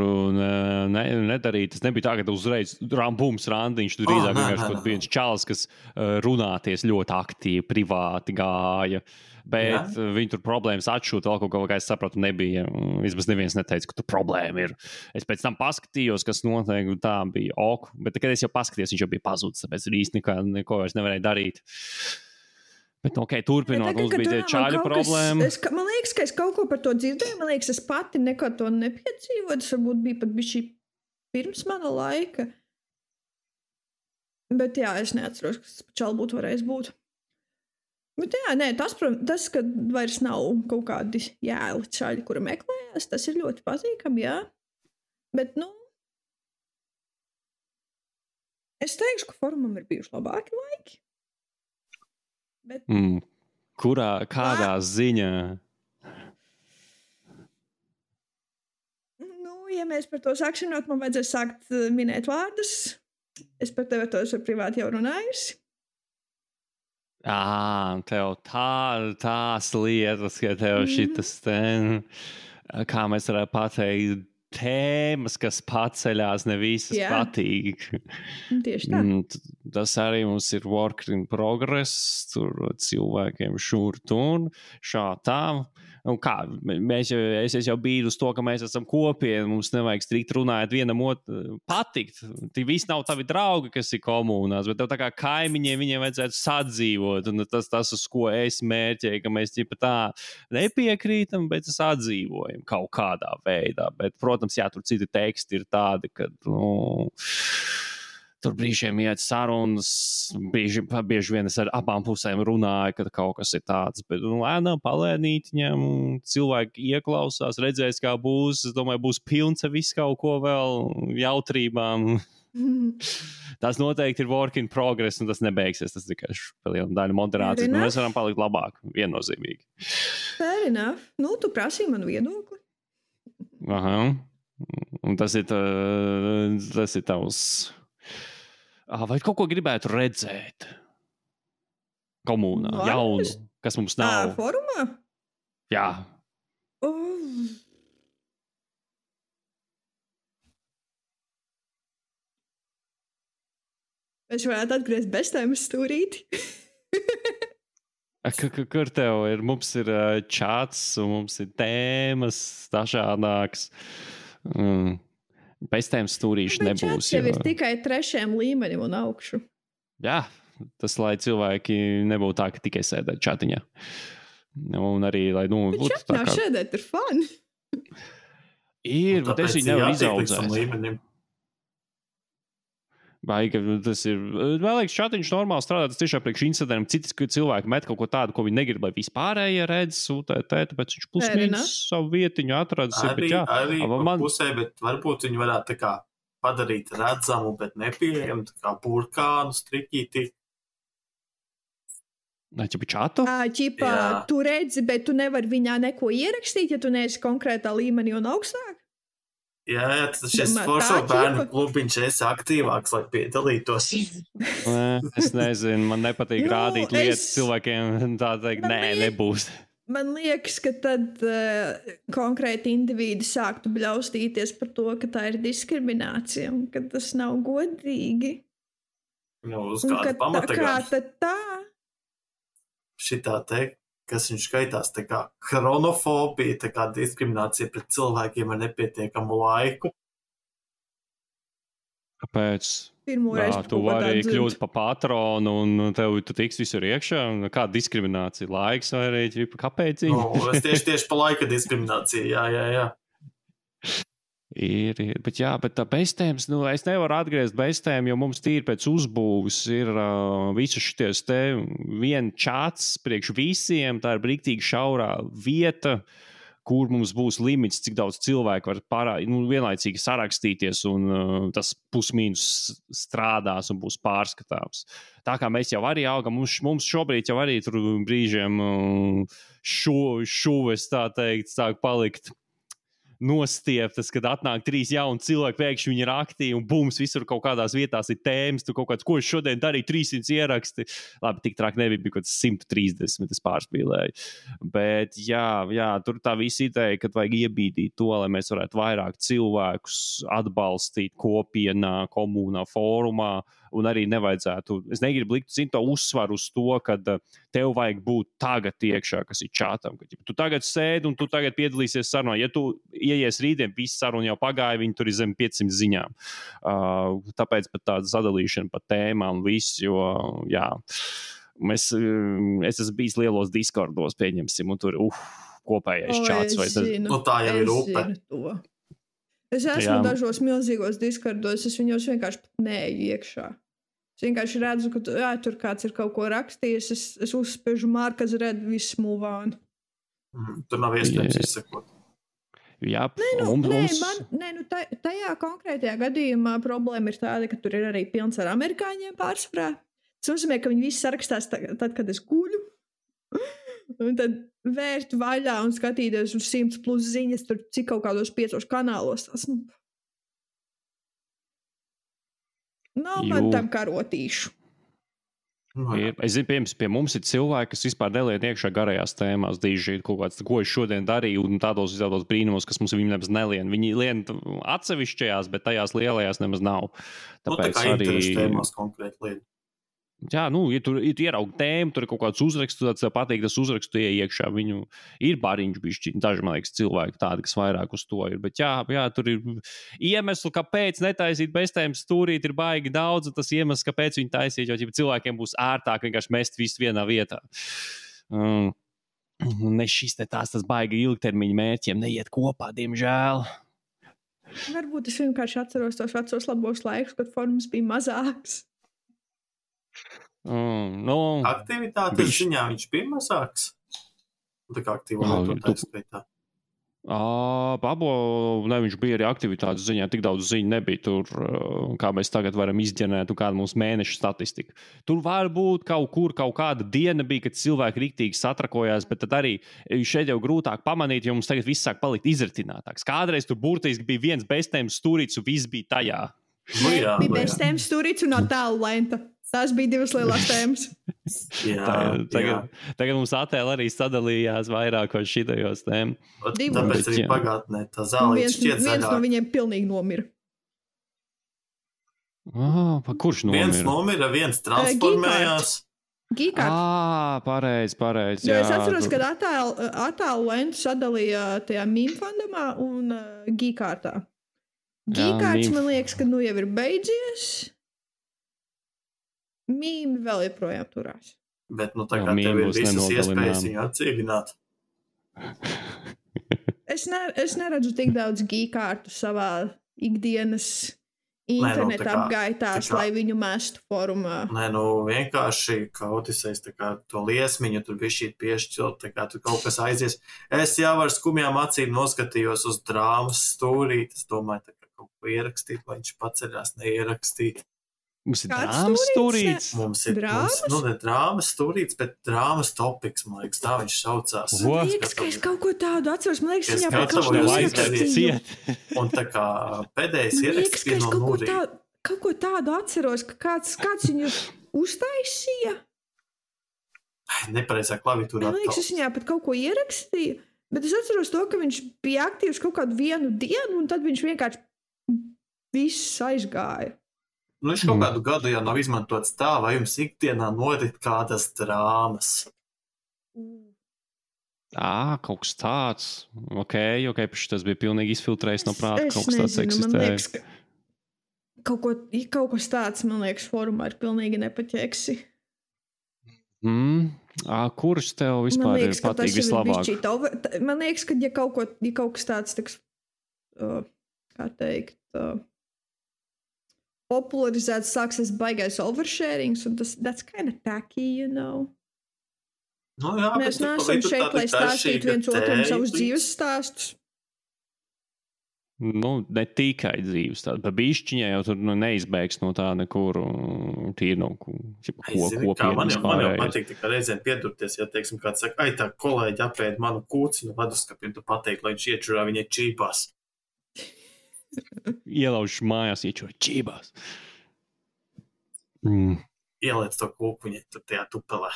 nedarīt. Tas nebija tā, ka uzreiz bums randiņš, tur drīzāk vienkārši kaut viens čalis, kas runāties ļoti aktīvi, privāti gāja. Bet viņi tur problēmas atšūt, vēl kaut kā es sapratu, nebija. Vismaz neviens neteica, ka tur problēma ir. Es pēc tam paskatījos, kas notiek, tā bija ok. Bet, kad es jau paskatījos, viņš jau bija pazudis, tāpēc īsti neko vairs nevarēja darīt. Bet, turpinot, mums bija čāļu problēma. Man liekas, ka es kaut ko par to dzirdēju. Man liekas, es pati neko to nepiedzīvoju. Tas varbūt bija pat bišķi pirms mana laika. Bet jā, es neatceros, kas čāli būtu varējis būt. Bet jā, tas, ka vairs nav kaut kādi jēli čaļi, kura meklējās, tas ir ļoti pazīkami, jā. Bet, Es teikšu, ka formam ir bijuši labāki laiki. Bet... Kādā ziņā? Nu, ja mēs par to sāksim, man vajadzēs sākt minēt vārdus. Es par tevi tos ar privāti jau runājusi. Tev tās lietas, ka tev šitas kā mēs varētu pateikt, tēmas, kas paceļās, ne visas patīk. Tieši tā. Tas arī mums ir work in progress, tur cilvēkiem šur tur, šā tā. Un kā, es jau biju uz to, ka mēs esam kopieni, mums nevajag strikt runāt vienam otru patikt. Tie visi nav tavi draugi, kas ir komunās, bet tev tā kā kaimiņiem viņiem vajadzētu sadzīvot. Un tas uz ko es mērķēju, ka mēs ķipa tā nepiekrītam, bet sadzīvojam kaut kādā veidā. Bet, protams, tur citi teksti ir tādi, ka, tur brīžiem iet sarunas, bieži vien es ar abām pusēm runāju, kad kaut kas ir tāds, bet lēnām palēnītiņam cilvēki ieklausās, redzēs, kā būs, es domāju, būs pilns ar visu kaut ko vēl jautrībām. Tas noteikti ir work in progress, un tas nebeigsies, tas tikai vēl viena daļa moderācijas, bet mēs varam palikt labāk, viennozīmīgi. Fair enough. Nu, tu prasīji manu viedokli. Aha. Un tas ir tavs... Vai kaut ko gribētu redzēt? Komunā, jaunu, kas mums nav. Forumā? Jā. Es varētu atgriezt beztēmas stūrīti. Kur tev ir? Mums ir čats, un mums ir tēmas dažādākas. Pēc tiem stūrīši nebūs. Tev ir tikai 3. līmenim un augšu. Jā, tas, lai cilvēki nebūtu tā, ka tikai sēdēt čatiņā. Un arī, lai, būtu tā kā... Sēdēt ir fun. Ir, bet es viņu nevaru izaudzēt. Vai tas ir, man liekas, čatiņš normāli strādā, tas tiešām priekš Instagram, citas cilvēki met kaut ko tādu, ko viņi negrib, lai vispārējie redz, tāpēc viņš plus mīnus savu vietiņu atradis. Arī pusē, bet varbūt viņi varētu tā kā padarīt redzamu, bet nepieejamu, tā kā burkānu striķīti. Ķipa čatu? Tu redzi, bet tu nevari viņā neko ierakstīt, ja tu neesi konkrētā līmenī un augstāk? Jā, tas šis foršo bērnu klubiņš esi aktīvāks, lai piedalītos. Es nezinu, man nepatīk rādīt lietas cilvēkiem, tā teikt, nebūs. Man liekas, ka tad konkrēti indivīdi sāktu bļaustīties par to, ka tā ir diskriminācija un ka tas nav godīgi. Uz kāda pamata gan? Kā tad tā? Šitā teikt. Kas viņš skaitās, tā kā chronofobija, tā kā diskriminācija pret cilvēkiem ar nepietiekamu laiku. Kāpēc? Tu vari kļūt pa patronu un tu tiks visur iekšā. Kāda diskriminācija? Laiks vai arī kāpēc? Es tieši pa laika diskrimināciju, jā. Ir, bet tā beztēmas, es nevaru atgriezt beztēmu, jo mums tīri pēc uzbūves ir visu šities te vien čats priekš visiem, tā ir brīktīgi šaurā vieta, kur mums būs limits, cik daudz cilvēku var vienlaicīgi sarakstīties, un tas pusmīnus strādās un būs pārskatāms. Tā kā mēs jau arī augam, mums šobrīd jau arī tur brīžiem šuves, tā teikt, sāk palikt nostieptas, kad atnāk 3 jauni cilvēki, pēkšņi viņi ir aktīvi un bums, visur kaut kādās vietās ir tēmas, tu kaut kāds, ko es šodien darīju, 300 ieraksti. Labi, tik trāk nebija, bija kaut 130, es pārspīlēju. Bet jā, tur tā visa ideja, kad vajag iebīdīt to, lai mēs varētu vairāk cilvēkus atbalstīt kopienā, komunā, fórumā, un arī nevajadzētu, es negribu likt to uzsvaru uz to, ka tev vajag būt tagad iekšā, kas ir čatam. Ka, tu tagad sēdi un tu tagad piedalīsies sarunā. Ja tu ieies rītdien, visi saruna jau pagāja, viņi tur ir zem 500 ziņām. Tāpēc pat tāda sadalīšana pa tēmām viss, jo, jā, es esmu bijis lielos Discordos, pieņemsim, un tur kopējais čats. Tā jau ir upe. Es esmu dažos milzīgos Discordos, es viņos vienkārši pat neeju iekšā. Es vienkārši redzu, ka tur kāds ir kaut ko rakstījis, es uzspiežu markas redzu, viss move on. Tur nav iespējams izsekot. Jā, tajā konkrētajā gadījumā problēma ir tāda, ka tur ir arī pilns ar amerikāņiem pārsvarā. Tas nozīmē, ka viņi visi sarakstās tad, kad es guļu. Un tad vērt vaļā un skatīties uz 100+ ziņas, tur cik kaut kādos 5 kanālos. Tas, nav man tam karotīšu. Es zinu, piemēram, pie mums ir cilvēki, kas vispār nelien iekšā garajās tēmās, dīžīt kaut kāds, ko es šodien darīju, un tādos brīnumos, kas mums viņi nemaz nelien. Viņi lien atsevišķajās, bet tajās lielajās nemaz nav. Tāpēc tā kā interešu tēmās konkrēti lien. Jā, ja tu ieraugi tēmu, tur ir kaut kāds uzraksts, tad tev patīk tas uzraksts, tu iekšā. Viņu ir bariņš bišķi, daži, man liekas, cilvēki tādi, kas vairāk uz to ir. Bet jā, tur ir iemesli, kāpēc netaisīt beztēmas stūrīt, ir baigi daudz, un tas iemesls, kāpēc viņi taisīt, jo cilvēkiem būs ērtāk vienkārši mest visu vienā vietā. Ne šis tas baigi ilgtermiņa mērķiem neiet kopā, diemžēl. Varbūt es vienkārši atceros tos vecos labos laikus, kad forums bija mazāks. Aktivitātes ziņā viņš bija mazāks. Tā kā aktīvo lietotāju skaitā. Viņš bija arī aktivitātes ziņā, tik daudz ziņu nebija tur, kā mēs tagad varam izģenēt, un kāda mums mēneša statistika. Tur var būt kaut kāda diena bija, kad cilvēki riktīgi satrakojās, bet tad arī šeit jau grūtāk pamanīt, jo mums tagad viss sāk palikt izritinātāks. Kādreiz tur burtiski bija viens beztēmas stūrīts, un viss bija tajā. Bija beztēmas stūrīts un attēlu lenta. Tās bija 2 lielās tēmas. Tagad mums attēli arī sadalījās vairākos šitajos tēmu. Tāpēc arī pagātnē tā zālīte šķiet zaļāk. Viens no viņiem pilnīgi nomira. Kurš nomira? Viens nomira, viens transformējās. Gīkārt. Pareizi. Jo es atceros, kad attēlu lentu sadalīja tajā mīmu fandamā un Gīkārtā. Gīkārts, man liekas, ka jau ir beidzies. Mīmi vēl joprojām turās. Bet tā kā tev ir visas iespējas viņu atcīvināt. Es neredzu tik daudz gīkārtu savā ikdienas interneta apgaitās, lai viņu mestu forumā. Vienkārši kautisēs to liesmiņu, tur bišķīt piešķilt, tur kaut kas aizies. Es jau ar skumjām acīm noskatījos uz drāmas stūrīt. Es domāju, ka kaut ko ierakstīt, lai viņš paceļās neierakstīt. Mums ir drāmas stūrīts. Mums ir drāmas stūrīts, bet drāmas topiks, man liekas, tā viņš saucās. Man liekas, ka es kaut ko tādu atceros. Man liekas, viņā kaut ko ierakstīju. Un tā kā pēdējais ierakstīja no Nūrī. Kaut ko tādu atceros, ka kāds viņu uztaisīja. Nepareizā klaviatūrā. Man liekas, es viņā pat kaut ko ierakstīju, bet es atceros to, ka viņš bija aktīvs kaut kādu vienu dienu, un tad viņš vienkārši viss aizgāja. Viņš kaut kādu gadu jau nav izmantots tā, vai jums ikdienā norit kādas drāmas? Kaut kas tāds. Ok, tas bija pilnīgi izfiltrējis no prāta, kaut kas tāds eksistē. Man liekas, ka kaut kas tāds, man liekas, forumā ir pilnīgi nepaķeksi. Kurš tev vispār ir patīk vislabāk? Man liekas, ka ja kaut kas tāds, kā teikt, popularizēts sāksies baigais oversharings, un that's kind of tacky, you know. Mēs neesam šeit, lai stāstītu viens otram savus dzīves stāstus. Ne tikai dzīves stāstus, bet bišķiņā jau tur neizbēgs no tā nekur tīri no kopienas Man jau patīk tikai reizēm piedurties, ja, teiksim, kāds saka, tā kolēģi apēd manu kūci no leduskapiem, tu pateikt, lai viņš iečurā viņai čīpās. Ielauž mājās, iečurā čībās. Ieliec to kūku viņai tur tajā tupelē.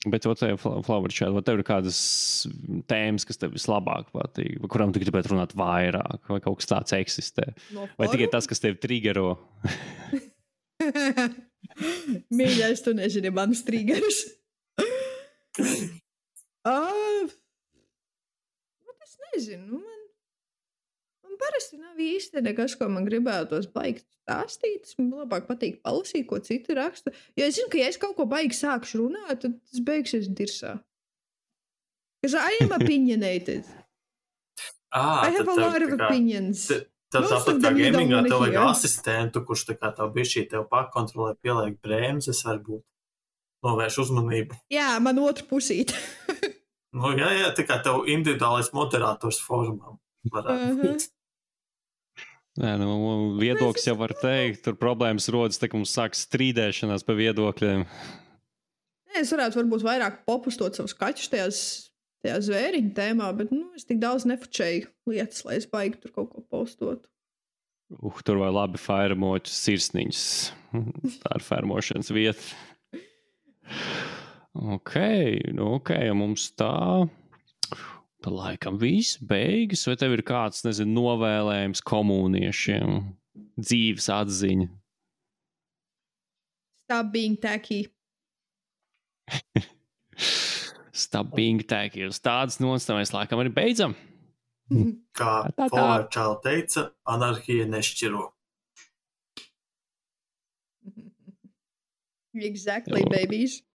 Bet Flower Child, vai tev ir kādas tēmas, kas tev vislabāk patīk, vai kurām tu gribētu runāt vairāk, vai kaut kas tāds eksistē? Vai tikai tas, kas tev triggero? Mīļais, tu nezini manas triggerus. Es nezinu, man parasti nav īsti nekas, ko man gribētos baigt stāstīt. Man labāk patīk palasīt, ko citi raksta. Jo es zinu, ka ja es kaut ko baigi sākšu runāt, tad tas beigsies dirsā. Because I am opinionated. I have a lot of opinions. Tāpat kā gamingā tev vajag asistentu, kurš tā kā tev bišķī tev pakontrolē, pieliek brēmzes, varbūt novērš uzmanību. Jā, man otru pusīt. Nu, jā, tā kā tev individuālais moderators formā varētu būt. Nē, viedoklis jau var teikt, tur problēmas rodas, tā kā mums sāk strīdēšanās pa viedokļiem. Es varētu varbūt vairāk popustot savus kaķus tajā zvēriņu tēmā, bet es tik daudz nefučēju lietas, lai es baigi tur kaut ko postotu. Tur vai labi fermotu sirsniņas. Tā ir fermošanas vieta. Ok, mums tā laikam viss beigas, vai tev ir kāds, novēlējums komuniešiem, dzīves atziņa? Stop being tacky. Stop being tacky. Uz tādas nots mēs laikam arī beidzam. Kā Flower Child teica, anarhija nešķiro. Exactly, babies.